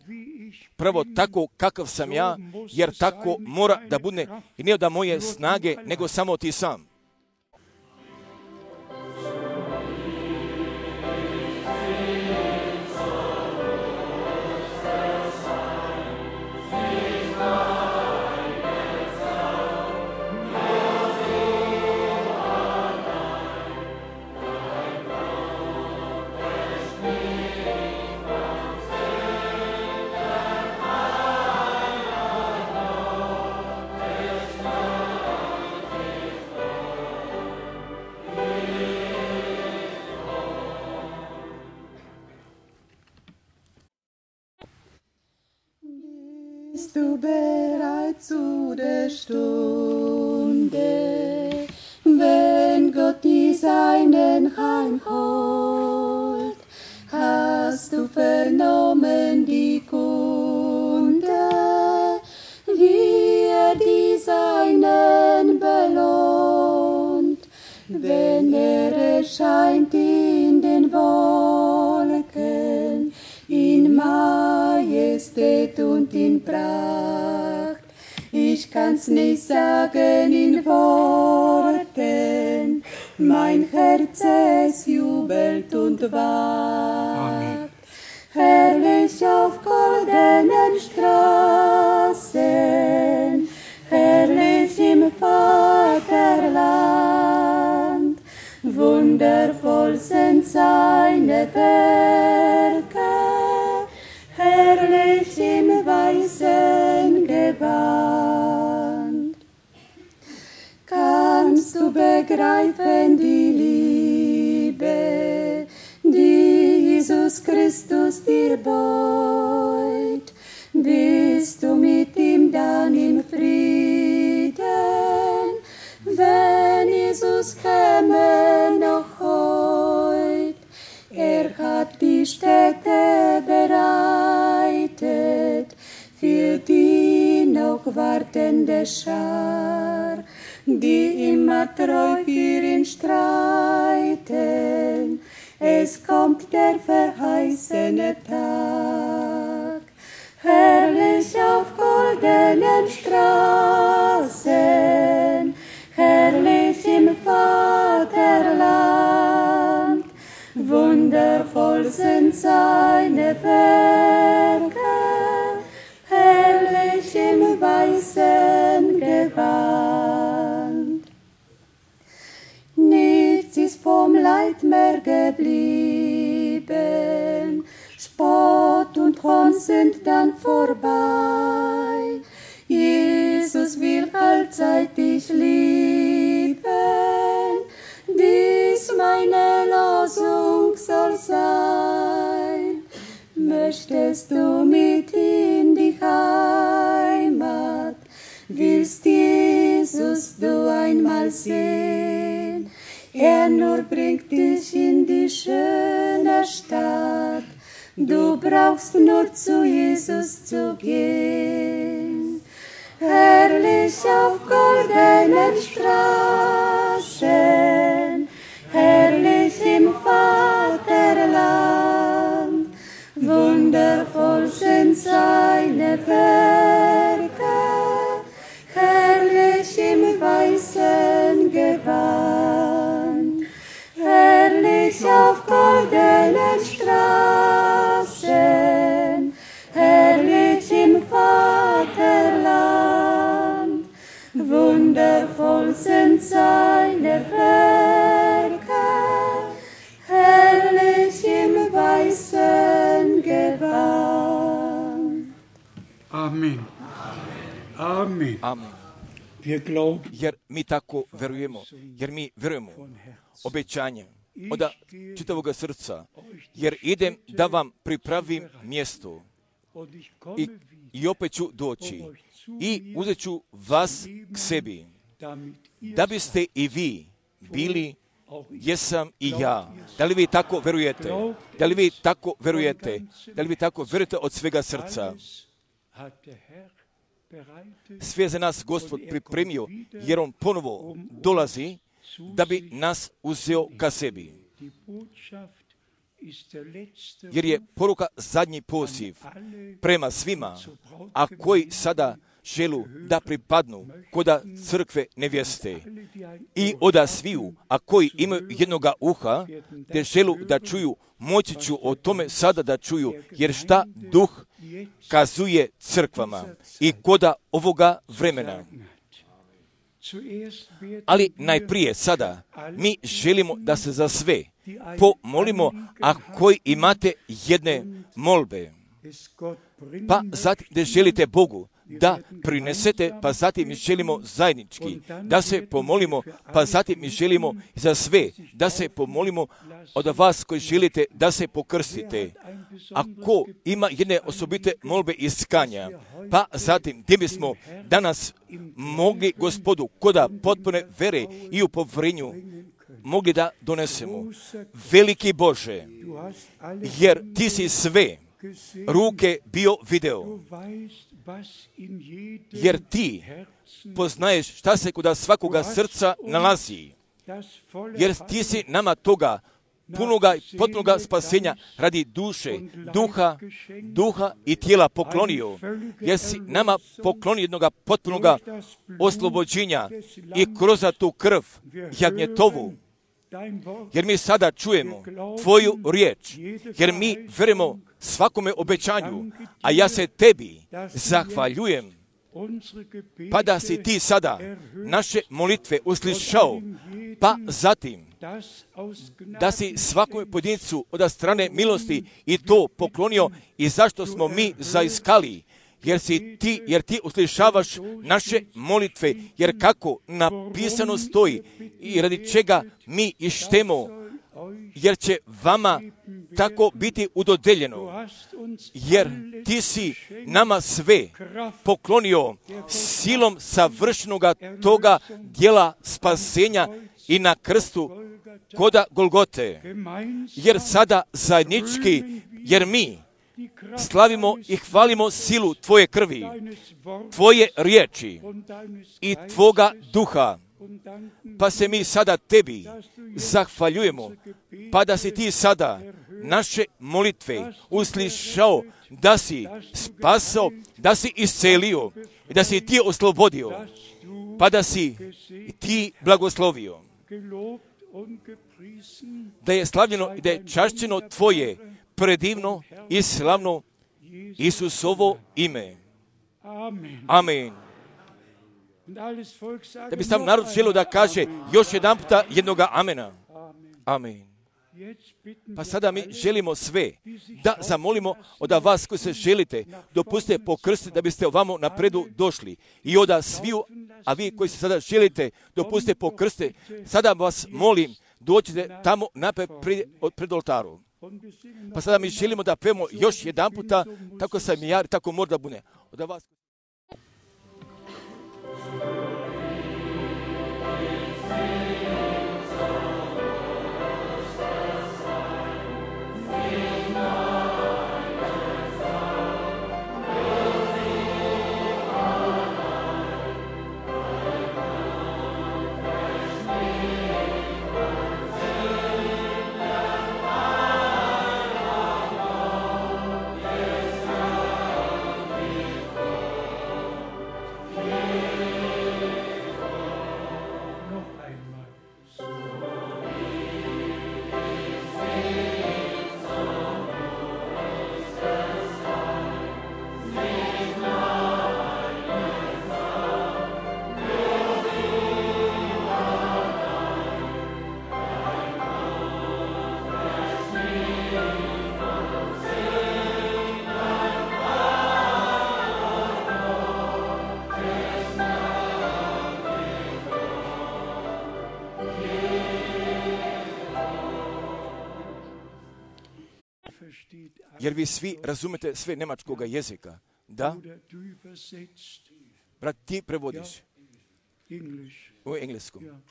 prvo tako kakav sam ja, jer tako mora da bude i ne da moje snage, nego samo ti sam. Bist du bereit zu der Stunde, wenn Gott die Seinen heimholt? Hast du vernommen die Kunde, wie er die Seinen belohnt, wenn er erscheint in den Wolken, in Majestät und in Pracht. Ich kann's nicht sagen in Worten, mein Herz es jubelt und wacht. Herrlich auf goldenen Straßen, herrlich im Vaterland, wundervoll sind seine Werke, herrlich im weißen Gewand. Kannst du begreifen die Liebe, die Jesus Christus dir beut? Bist du mit ihm dann im Frieden, wenn Jesus käme noch heut? Er hat die Städte bereitet für die noch wartende Schar, die immer treu für ihn streiten. Es kommt der verheißene Tag, herrlich auf goldenen Straßen, herrlich im Vaterland, wundervoll sind seine Werke, herrlich im weißen Gewand. Nichts ist vom Leid mehr geblieben, Spott und Hohn sind dann vorbei. Jesus will allzeit dich lieben, dies meine Losung soll sein. Möchtest du mit in die Heimat, willst Jesus du einmal sehen? Er nur bringt dich in die schöne Stadt, du brauchst nur zu Jesus zu gehen. Herrlich auf goldenen Straßen, herrlich im Vaterland, wundervoll sind seine Werke, herrlich im weißen Gewand, herrlich auf goldenen Straßen, herrlich im Vaterland, wundervoll sind seine Werke, herrlich im weißen Gewand. Amen. Amen. Amen. Wir glauben jer mi tako verujemo, jer mi verujemo von Herzen. obećanje od čitavog srca, jer idem da vam pripravim mjesto Und ich i, komme wieder, i opet ću doći i uzet ću vas k sebi, damit ihr da biste i vi bili gdje sam i ja. Da li vi tako verujete? Da li vi tako verujete? Da li vi tako verujete od svega srca? alles hat der Herr bereitet, Sve za nas Gospod pripremio, jer On ponovo dolazi da bi nas uzeo ka sebi. die Botschaft ist der letzte Jer je poruka zadnji poziv prema svima, a koji sada želu da pripadnu koda crkve nevjeste. I oda sviju, a koji imaju jednoga uha, te želu da čuju, moći ću o tome sada da čuju, jer šta duh kazuje crkvama i koda ovoga vremena. Zuerst werden Ali najprije sada mi želimo da se za sve pomolimo, a koji imate jedne molbe. es Gott bringen, Pa zatim da želite Bogu da prinesete, pa zatim mi želimo zajednički da se pomolimo, pa zatim mi želimo za sve da se pomolimo od vas koji želite da se pokrstite. Ako ima jedne osobite molbe iskanja, pa zatim gdje bismo danas mogli Gospodu koda potpune vere i u povjerenju mogli da donesemo. Veliki Bože, du hast alles jer ti si sve gesehen, ruke bio video, du weißt, was in jedem jer ti Herzen poznaješ šta se kod svakoga srca nalazi, das volle jer ti si nama toga punoga i potpunoga spasenja radi duše, duha, duha i tijela poklonio, jer si nama poklonio jednoga potpunoga oslobođenja i kroz tu krv jagnjetovu, dein Wort, jer mi sada čujemo tvoju riječ, jer mi verujemo svakome obećanju, a ja se tebi zahvaljujem, unsere Gebete, pa da si ti sada naše molitve uslišao, pa zatim das aus Gnade da si svakome pojedincu od strane milosti i to poklonio i zašto smo mi zaiskali, jer si ti, jer ti uslišavaš naše molitve, jer kako napisano stoji i radi čega mi ištemo, jer će vama tako biti udodeljeno, hast uns jer ti si nama sve poklonio silom savršenoga toga dijela spasenja i na krstu koda Golgote, gemeinsam jer sada zajednički, jer mi die Kraft slavimo i hvalimo silu tvoje krvi, deines Wortes tvoje riječi und deines i Geistes tvoga duha, und danken, pa se mi sada tebi zahvaljujemo, pa da si ti sada naše molitve uslišao, da si spasao, da si iscelio i da si ti oslobodio, dass du pa da si ti blagoslovio, gelobt und gepriesen da je slavljeno i da je čašćeno tvoje predivno i slavno Isusovo ime. Amen. Amen. Und alles Volk sagt, Da bi sam narod želio da kaže još jedan puta jednoga amena. Amen. Amen. Jetzt bitten Pa wir sada mi alle, želimo sve da zamolimo od vas koji se želite, dopustite pokrstiti da biste ovamo napredu došli. I oda sviju, a vi koji se sada želite, dopustite pokrstiti, sada vas molim, dođite tamo napred pred, pred oltaru. und wir singen Pa sada mi želimo da pevamo još jedan puta, tako sam i ja, tako mora da bude. Od vas... jer vi svi razumete sve njemačkoga jezika. Da, Oder du übersetzt brat, ti prevodiš Englisch. u engleskom. Ja.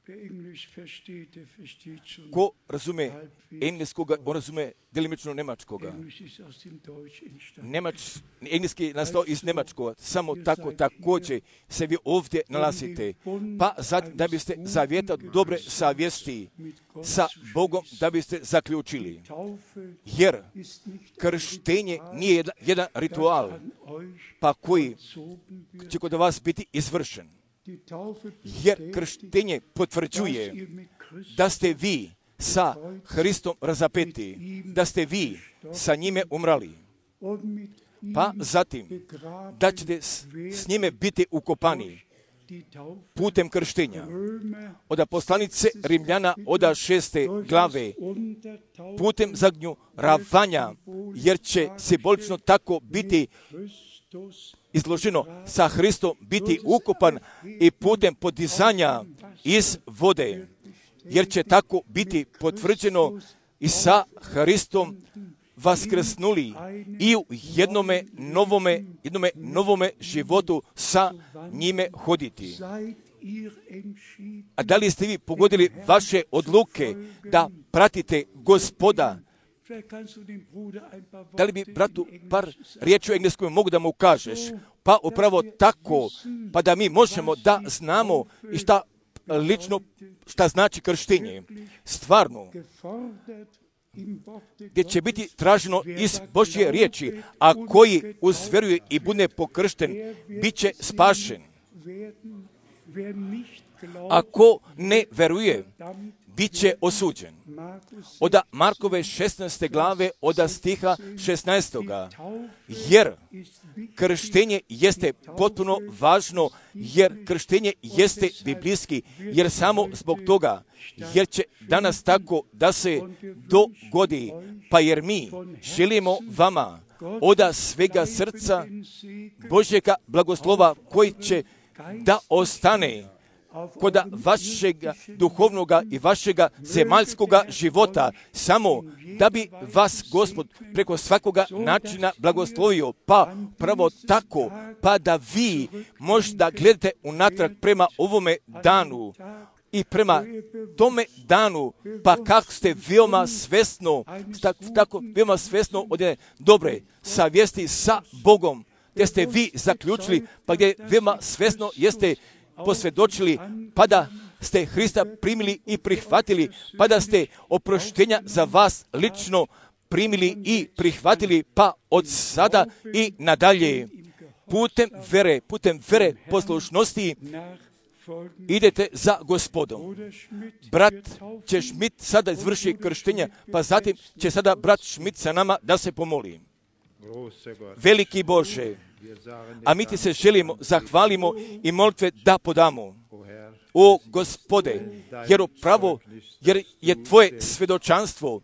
Wer Englisch versteht, der versteht schon. Ko razume engleskoga, on razume delimično njemačkoga. Englisch ist aus dem Deutsch entstanden. Njemač, engleski nastao iz njemačkova, samo tako također se vi ovdje nalazite. Pa zato da biste zavjeta dobre savjesti sa Bogom da biste zaključili. Jer krštenje nije jedan, jedan ritual, pa koji će kod vas biti izvršen. Jer krštenje potvrđuje da ste vi sa Hristom razapeti, da ste vi sa njime umrali. Pa zatim da ćete s, s njime biti ukopani putem krštenja. Od poslanice Rimljana oda šeste glave, putem zagnjuravanja, jer će simbolično tako biti izloženo sa Hristom biti ukopan i putem podizanja iz vode, jer će tako biti potvrđeno i sa Hristom vaskrsnuli i u jednome novome, jednome novome životu sa njime hoditi. A da li ste vi pogodili vaše odluke da pratite Gospoda? Da li bi bratu par riječi u engleskom mogu da mu kažeš? Pa upravo tako, pa da mi možemo da znamo i šta lično, šta znači krštenje. Stvarno, gdje će biti traženo iz Božje riječi, a koji uzveruje i bude pokršten, bit će spašen. Ako ne veruje, bit će osuđen. Oda Markove šesnaeste glave, oda stiha šesnaestoga. Jer krštenje jeste potpuno važno, jer krštenje jeste biblijski, jer samo zbog toga, jer će danas tako da se dogodi, pa jer mi želimo vama oda svega srca Božjega blagoslova koji će da ostane kod vašega duhovnoga i vašega zemaljskoga života, samo da bi vas Gospod preko svakoga načina blagoslovio, pa pravo tako, pa da vi možda gledate unatrag prema ovome danu i prema tome danu, pa kako ste veoma svesno, tako, tako veoma svesno od jedne dobre savjesti sa Bogom, gdje ste vi zaključili, pa gdje veoma svesno jeste posvjedočili, pa da ste Hrista primili i prihvatili, pa da ste oproštenja za vas lično primili i prihvatili, pa od sada i nadalje putem vere, putem vere poslušnosti idete za Gospodom. Brat će Šmit sada izvrši krštenja, pa zatim će sada brat Šmit sa nama da se pomoli. Veliki Bože, a mi ti se želimo, zahvalimo i molitve da podamo. O Gospode, jer upravo, jer je tvoje svjedočanstvo,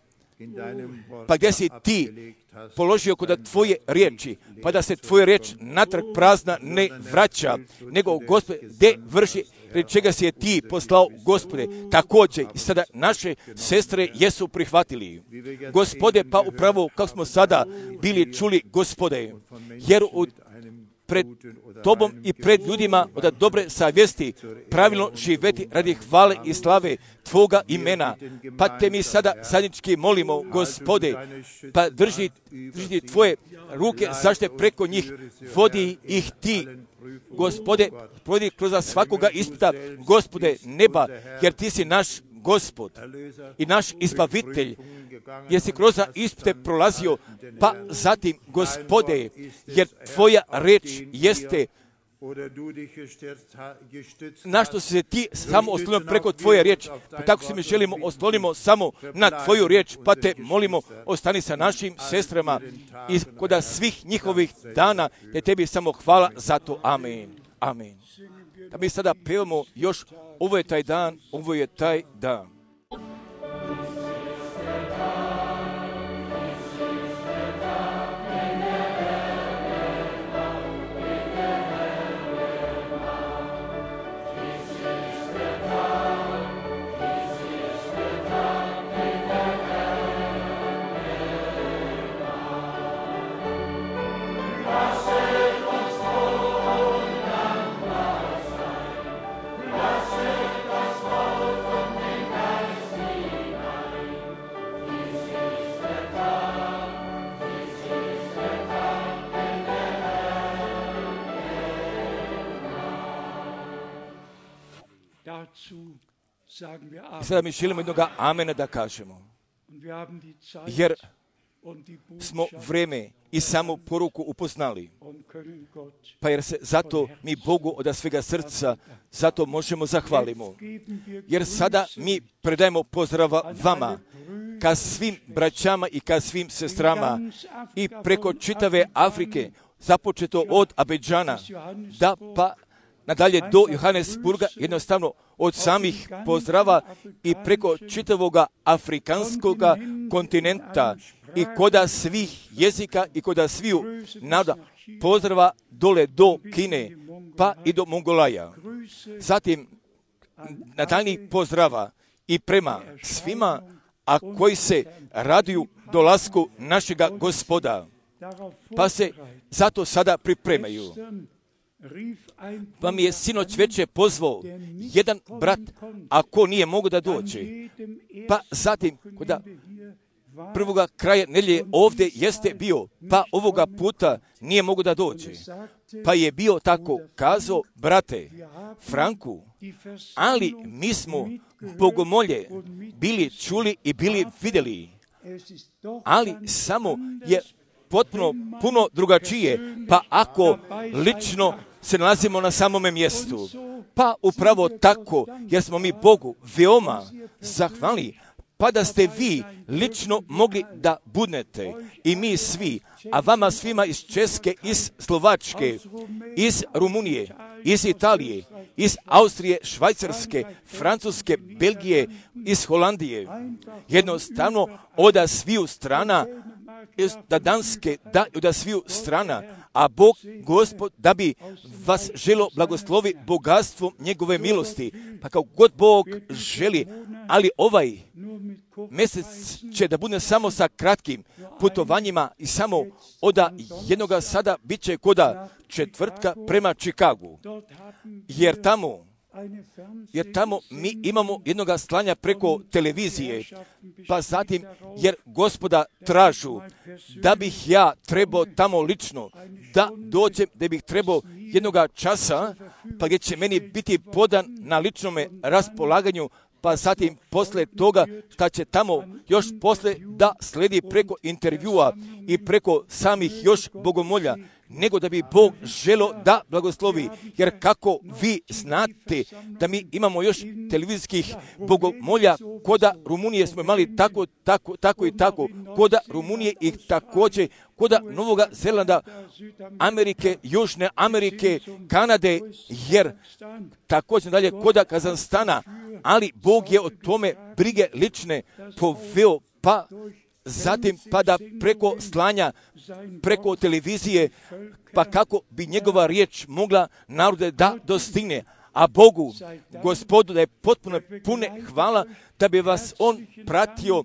pa gdje si ti položio kod tvoje riječi, pa da se tvoja riječ natrag prazna ne vraća, nego Gospode, gdje vrši radi čega si je ti poslao, Gospode, također i sada naše sestre jesu prihvatili. Gospode, pa upravo kako smo sada bili čuli, Gospode, jer u pred tobom i pred ljudima od dobre savjesti pravilno živeti radi hvale i slave tvoga imena. Pa te mi sada sadnički molimo, Gospode, pa drži, drži tvoje ruke zašte preko njih, vodi ih ti, Gospode, provodi kroz svakoga ispita, Gospode neba, jer ti si naš Gospod i naš izbavitelj, jer si kroz ispite prolazio, pa zatim, Gospode, jer tvoja reč jeste na što se ti samo oslonio preko tvoje riječi, pa tako se mi želimo oslonimo samo na tvoju riječ, pa te molimo, ostani sa našim sestrama i kod svih njihovih dana, te tebi samo hvala za to. Amen. Amen. Da mi sada pevamo još, ovo je taj dan, ovo je taj dan. I sada mi želimo jednoga amena da kažemo. Jer smo vreme i samu poruku upoznali. Pa jer se zato mi Bogu od svega srca zato možemo zahvalimo. Jer sada mi predajemo pozdrava vama, ka svim braćama i ka svim sestrama i preko čitave Afrike, započeto od Abidžana, da pa nadalje do Johannesburga, jednostavno od samih pozdrava i preko čitavoga afrikanskoga kontinenta i koda svih jezika i koda sviju naroda pozdrava dole do Kine pa i do Mongolaja. Zatim nadaljnih pozdrava i prema svima, a koji se raduju dolasku našega Gospoda, pa se zato sada pripremaju. Pa mi je sinoć večer pozvao jedan brat, a ko nije mogao da dođe. Pa zatim, kada prvoga kraja nedjelje ovdje jeste bio, pa ovoga puta nije mogao da dođe. Pa je bio tako kazao, brate, Franku, ali mi smo bogomolje bili čuli i bili vidjeli, ali samo je potpuno puno drugačije, pa ako lično se nalazimo na samome mjestu. Pa upravo tako, jer smo mi Bogu veoma zahvalni, pa da ste vi lično mogli da budnete i mi svi, a vama svima iz Česke, iz Slovačke, iz Rumunije, iz Italije, iz Austrije, Švajcarske, Francuske, Belgije, iz Holandije, jednostavno od sviju strana, da Danske, da od sviju strana, a Bog, Gospod, da bi vas želo blagoslovi bogatstvom njegove milosti, pa kao god Bog želi, ali ovaj mjesec će da bude samo sa kratkim putovanjima i samo od jednoga sada bit će koda četvrtka prema Čikagu, jer tamo jer tamo mi imamo jednoga slanja preko televizije, pa zatim, jer Gospoda tražu da bih ja trebao tamo lično da dođem, da bih trebao jednoga časa, pa gdje će meni biti podan na ličnome raspolaganju, pa zatim posle toga šta će tamo još posle da sledi preko intervjua i preko samih još bogomolja, nego da bi Bog želo da blagoslovi. Jer kako vi znate da mi imamo još televizijskih bogomolja, koda Rumunije smo imali tako, tako, tako i tako, koda Rumunije i također koda Novoga Zelanda, Amerike, Južne Amerike, Kanade, jer također dalje koda Kazanstana, ali Bog je o tome brige lične poveo, pa zatim pa da preko slanja, preko televizije, pa kako bi njegova riječ mogla narode da dostigne. A Bogu, Gospodu, da je potpuno pune hvala da bi vas On pratio.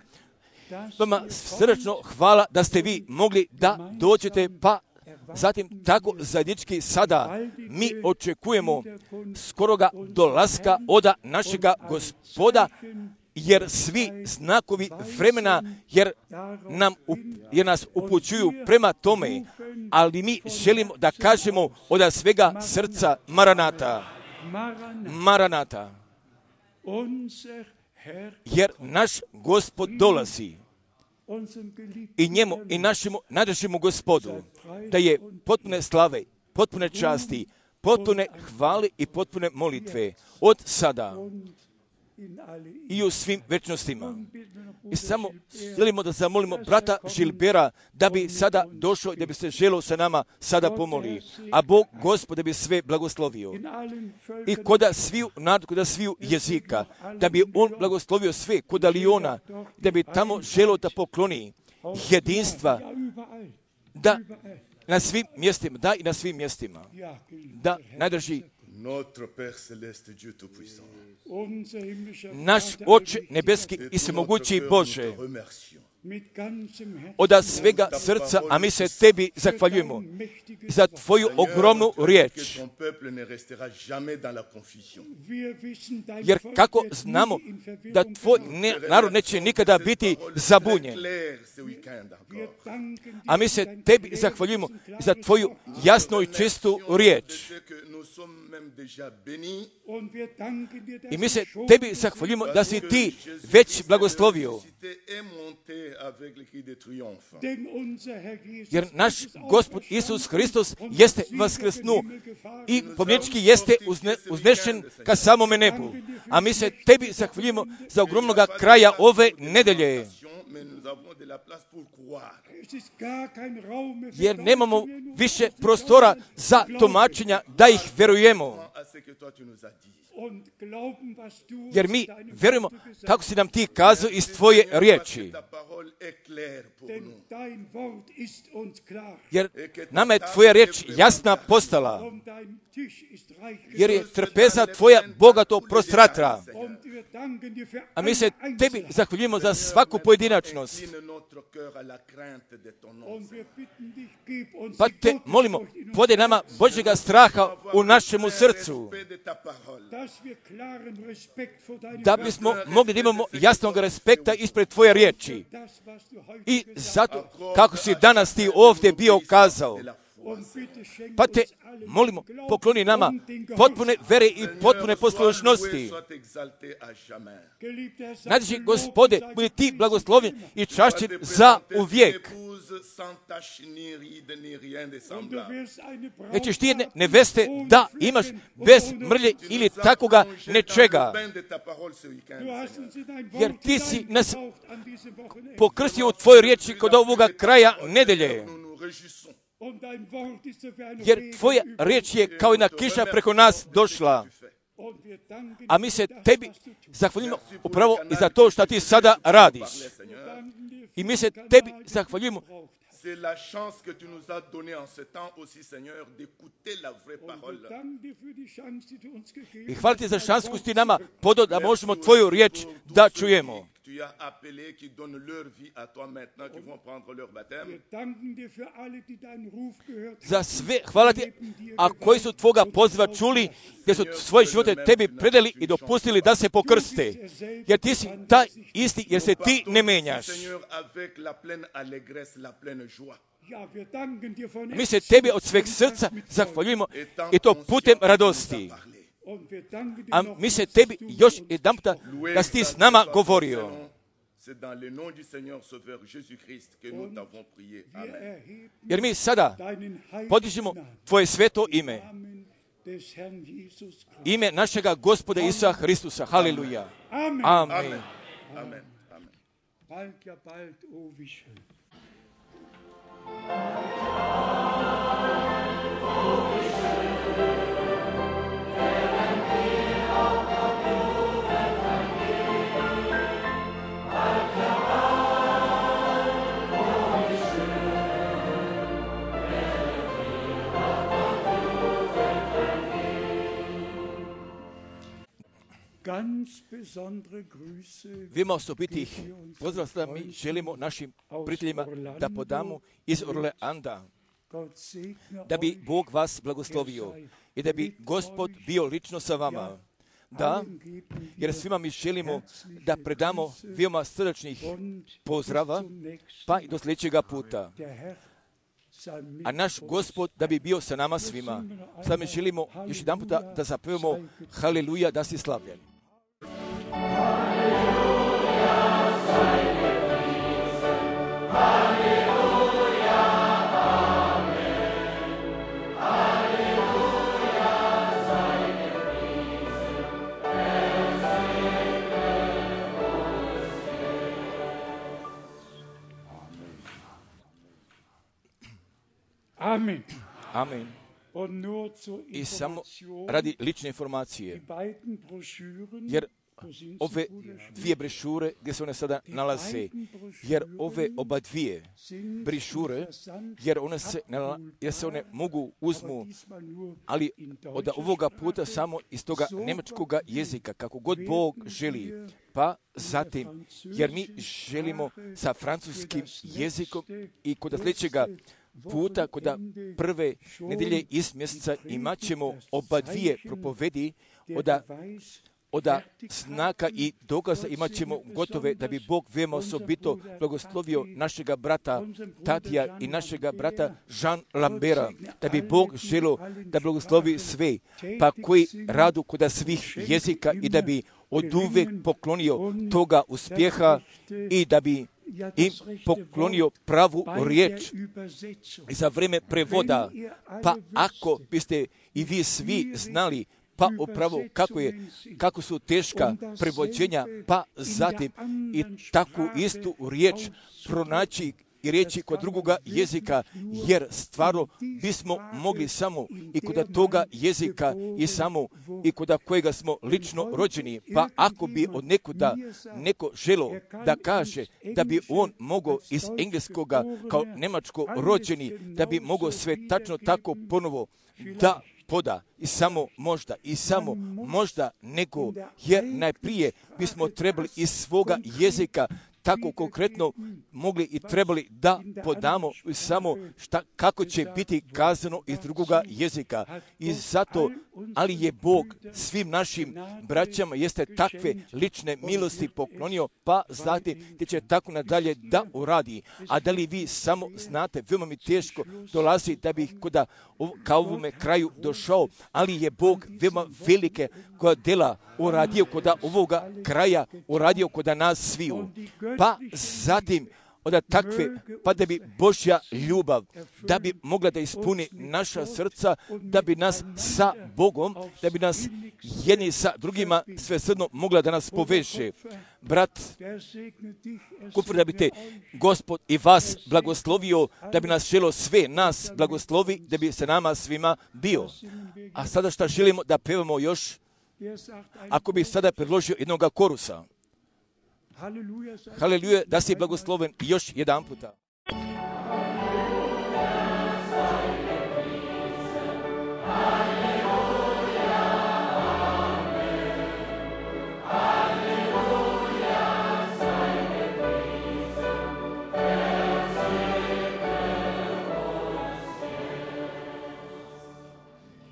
Vama srdačno hvala da ste vi mogli da dođete, pa zatim tako zajednički sada mi očekujemo skoroga dolaska od našega Gospoda, jer svi znakovi vremena, jer, nam, jer nas upućuju prema tome, ali mi želimo da kažemo od svega srca Maranata. Maranata. Jer naš Gospod dolazi i njemu i našemu najdražemu Gospodu da je potpune slave, potpune časti, potpune hvale i potpune molitve od sada i u svim večnostima. I samo želimo da zamolimo brata Žilbera da bi sada došao i da bi se želio sa nama sada pomoli. A Bog, Gospod, da bi sve blagoslovio. I koda sviju narod, koda sviju jezika, da bi On blagoslovio sve, koda Liona, da bi tamo želio da pokloni jedinstva, da na svim mjestima, da i na svim mjestima, da najdrži naš Oče nebeski i svemogući Bože, od svega srca, a mi se tebi zahvaljujemo za tvoju ogromnu riječ. Jer kako znamo da tvoj narod neće nikada biti zabunjen. A mi se tebi zahvaljujemo za tvoju jasnu i čistu riječ. I mi se tebi zahvaljujemo da si ti već blagoslovio. Jer naš Gospod Isus Hristos jeste vaskrsnuo i pobjednički jeste uzne, uznešen ka samome nebu. A mi se tebi zahvaljujemo za ogromnoga kraja ove nedelje. Jer nemamo više prostora za tumačenja da ih verujemo. Jer mi verujemo kako si nam ti kazao iz tvoje riječi. Jer nama je tvoja riječ jasna postala. Jer je trpeza tvoja bogato prostratra. A mi se tebi zahvaljujemo za svaku pojedinačnost. Pa te molimo, podaj nama Božjega straha u našemu srcu. Da bismo mogli da imamo jasnog respekta ispred tvoje riječi. I zato kako si danas ti ovdje bio kazao. Pa te molimo, pokloni nama potpune vere i potpune poslušnosti. Najdraži Gospode, budi ti blagoslovljen i čašćen za uvijek. Nećeš ti jedne neveste da imaš bez mrlje ili takoga nečega. Jer ti si nas pokrstio u tvojoj riječi kod ovoga kraja nedelje. Jer tvoja riječ je kao jedna kiša preko nas došla. A mi se tebi zahvaljujemo upravo i za to što ti sada radiš. I mi se tebi zahvaljujemo. I hvala ti za šansu koju si ti nama podao da možemo tvoju riječ da čujemo. Za sve, hvala ti, a koji su tvoga poziva čuli, gdje su svoje živote tebi predali i dopustili da se pokrste. Jer ti si taj isti, jer se ti ne menjaš. Mi se tebi od sveg srca zahvaljujemo i to putem radosti. A mi se tebi još jedan puta da si ti s nama govorio. Jer mi sada podižemo tvoje sveto ime. Ime našega Gospoda Isusa Hristusa. Haleluja. Amen. Amen. Vima osobitih pozdrava mi želimo našim prijateljima da podamo iz Orleanda, da bi Bog vas blagoslovio i da bi Gospod bio lično sa vama. Da, jer svima mi želimo da predamo veoma srdačnih pozdrava, pa i do sljedećega puta. A naš Gospod da bi bio sa nama svima. Sad mi želimo još jedan puta da zapevamo Haleluja, da si slavljen. Amen. Amen. I samo radi lične informacije. Jer ove dvije brošure gdje se one sada nalaze, jer ove oba dvije brošure, jer one se, jer se one mogu uzmu, ali od ovoga puta samo iz toga njemačkoga jezika, kako god Bog želi. Pa zatim, jer mi želimo sa francuskim jezikom i kod sljedećega puta, kod prve nedelje iz mjeseca imat ćemo oba dvije propovedi od od znaka i dokaza imat ćemo gotove, da bi Bog veoma osobito blagoslovio našega brata Tatija i našega brata Jean Lambera, da bi Bog želio da blagoslovi sve, pa koji radu kod svih jezika i da bi od uvijek poklonio toga uspjeha i da bi im poklonio pravu riječ za vrijeme prevoda. Pa ako biste i vi svi znali pa upravo kako je, kako su teška prevođenja, pa zatim i takvu istu riječ pronaći i reći kod drugoga jezika, jer stvarno bismo mogli samo i kod toga jezika i samo i kod kojega smo lično rođeni. Pa ako bi od nekuda neko želo da kaže da bi on mogao iz engleskoga kao nemačko rođeni, da bi mogao sve tačno tako ponovo da poda i samo možda, i samo možda nego, jer najprije bismo trebali iz svoga jezika tako konkretno mogli i trebali da podamo samo šta, kako će biti kazano iz drugoga jezika. I zato, ali je Bog svim našim braćama jeste takve lične milosti poklonio, pa zatim gdje će tako nadalje da uradi. A da li vi samo znate, veoma mi teško dolazi da bih koda ka ovome kraju došao, ali je Bog veoma velike koja dela uradio koda ovoga kraja, uradio koda nas sviju. Pa zatim, od takve, pa da bi Božja ljubav, da bi mogla da ispuni naša srca, da bi nas sa Bogom, da bi nas jedni sa drugima svesrdno mogla da nas poveže. Brat Kupfer, da bi te Gospod i vas blagoslovio, da bi nas želo sve nas blagoslovi, da bi se nama svima bio. A sada šta želimo da pevamo još? Ako bi sada predložio jednoga korusa. Haleluja, da si blagosloven još jedan puta.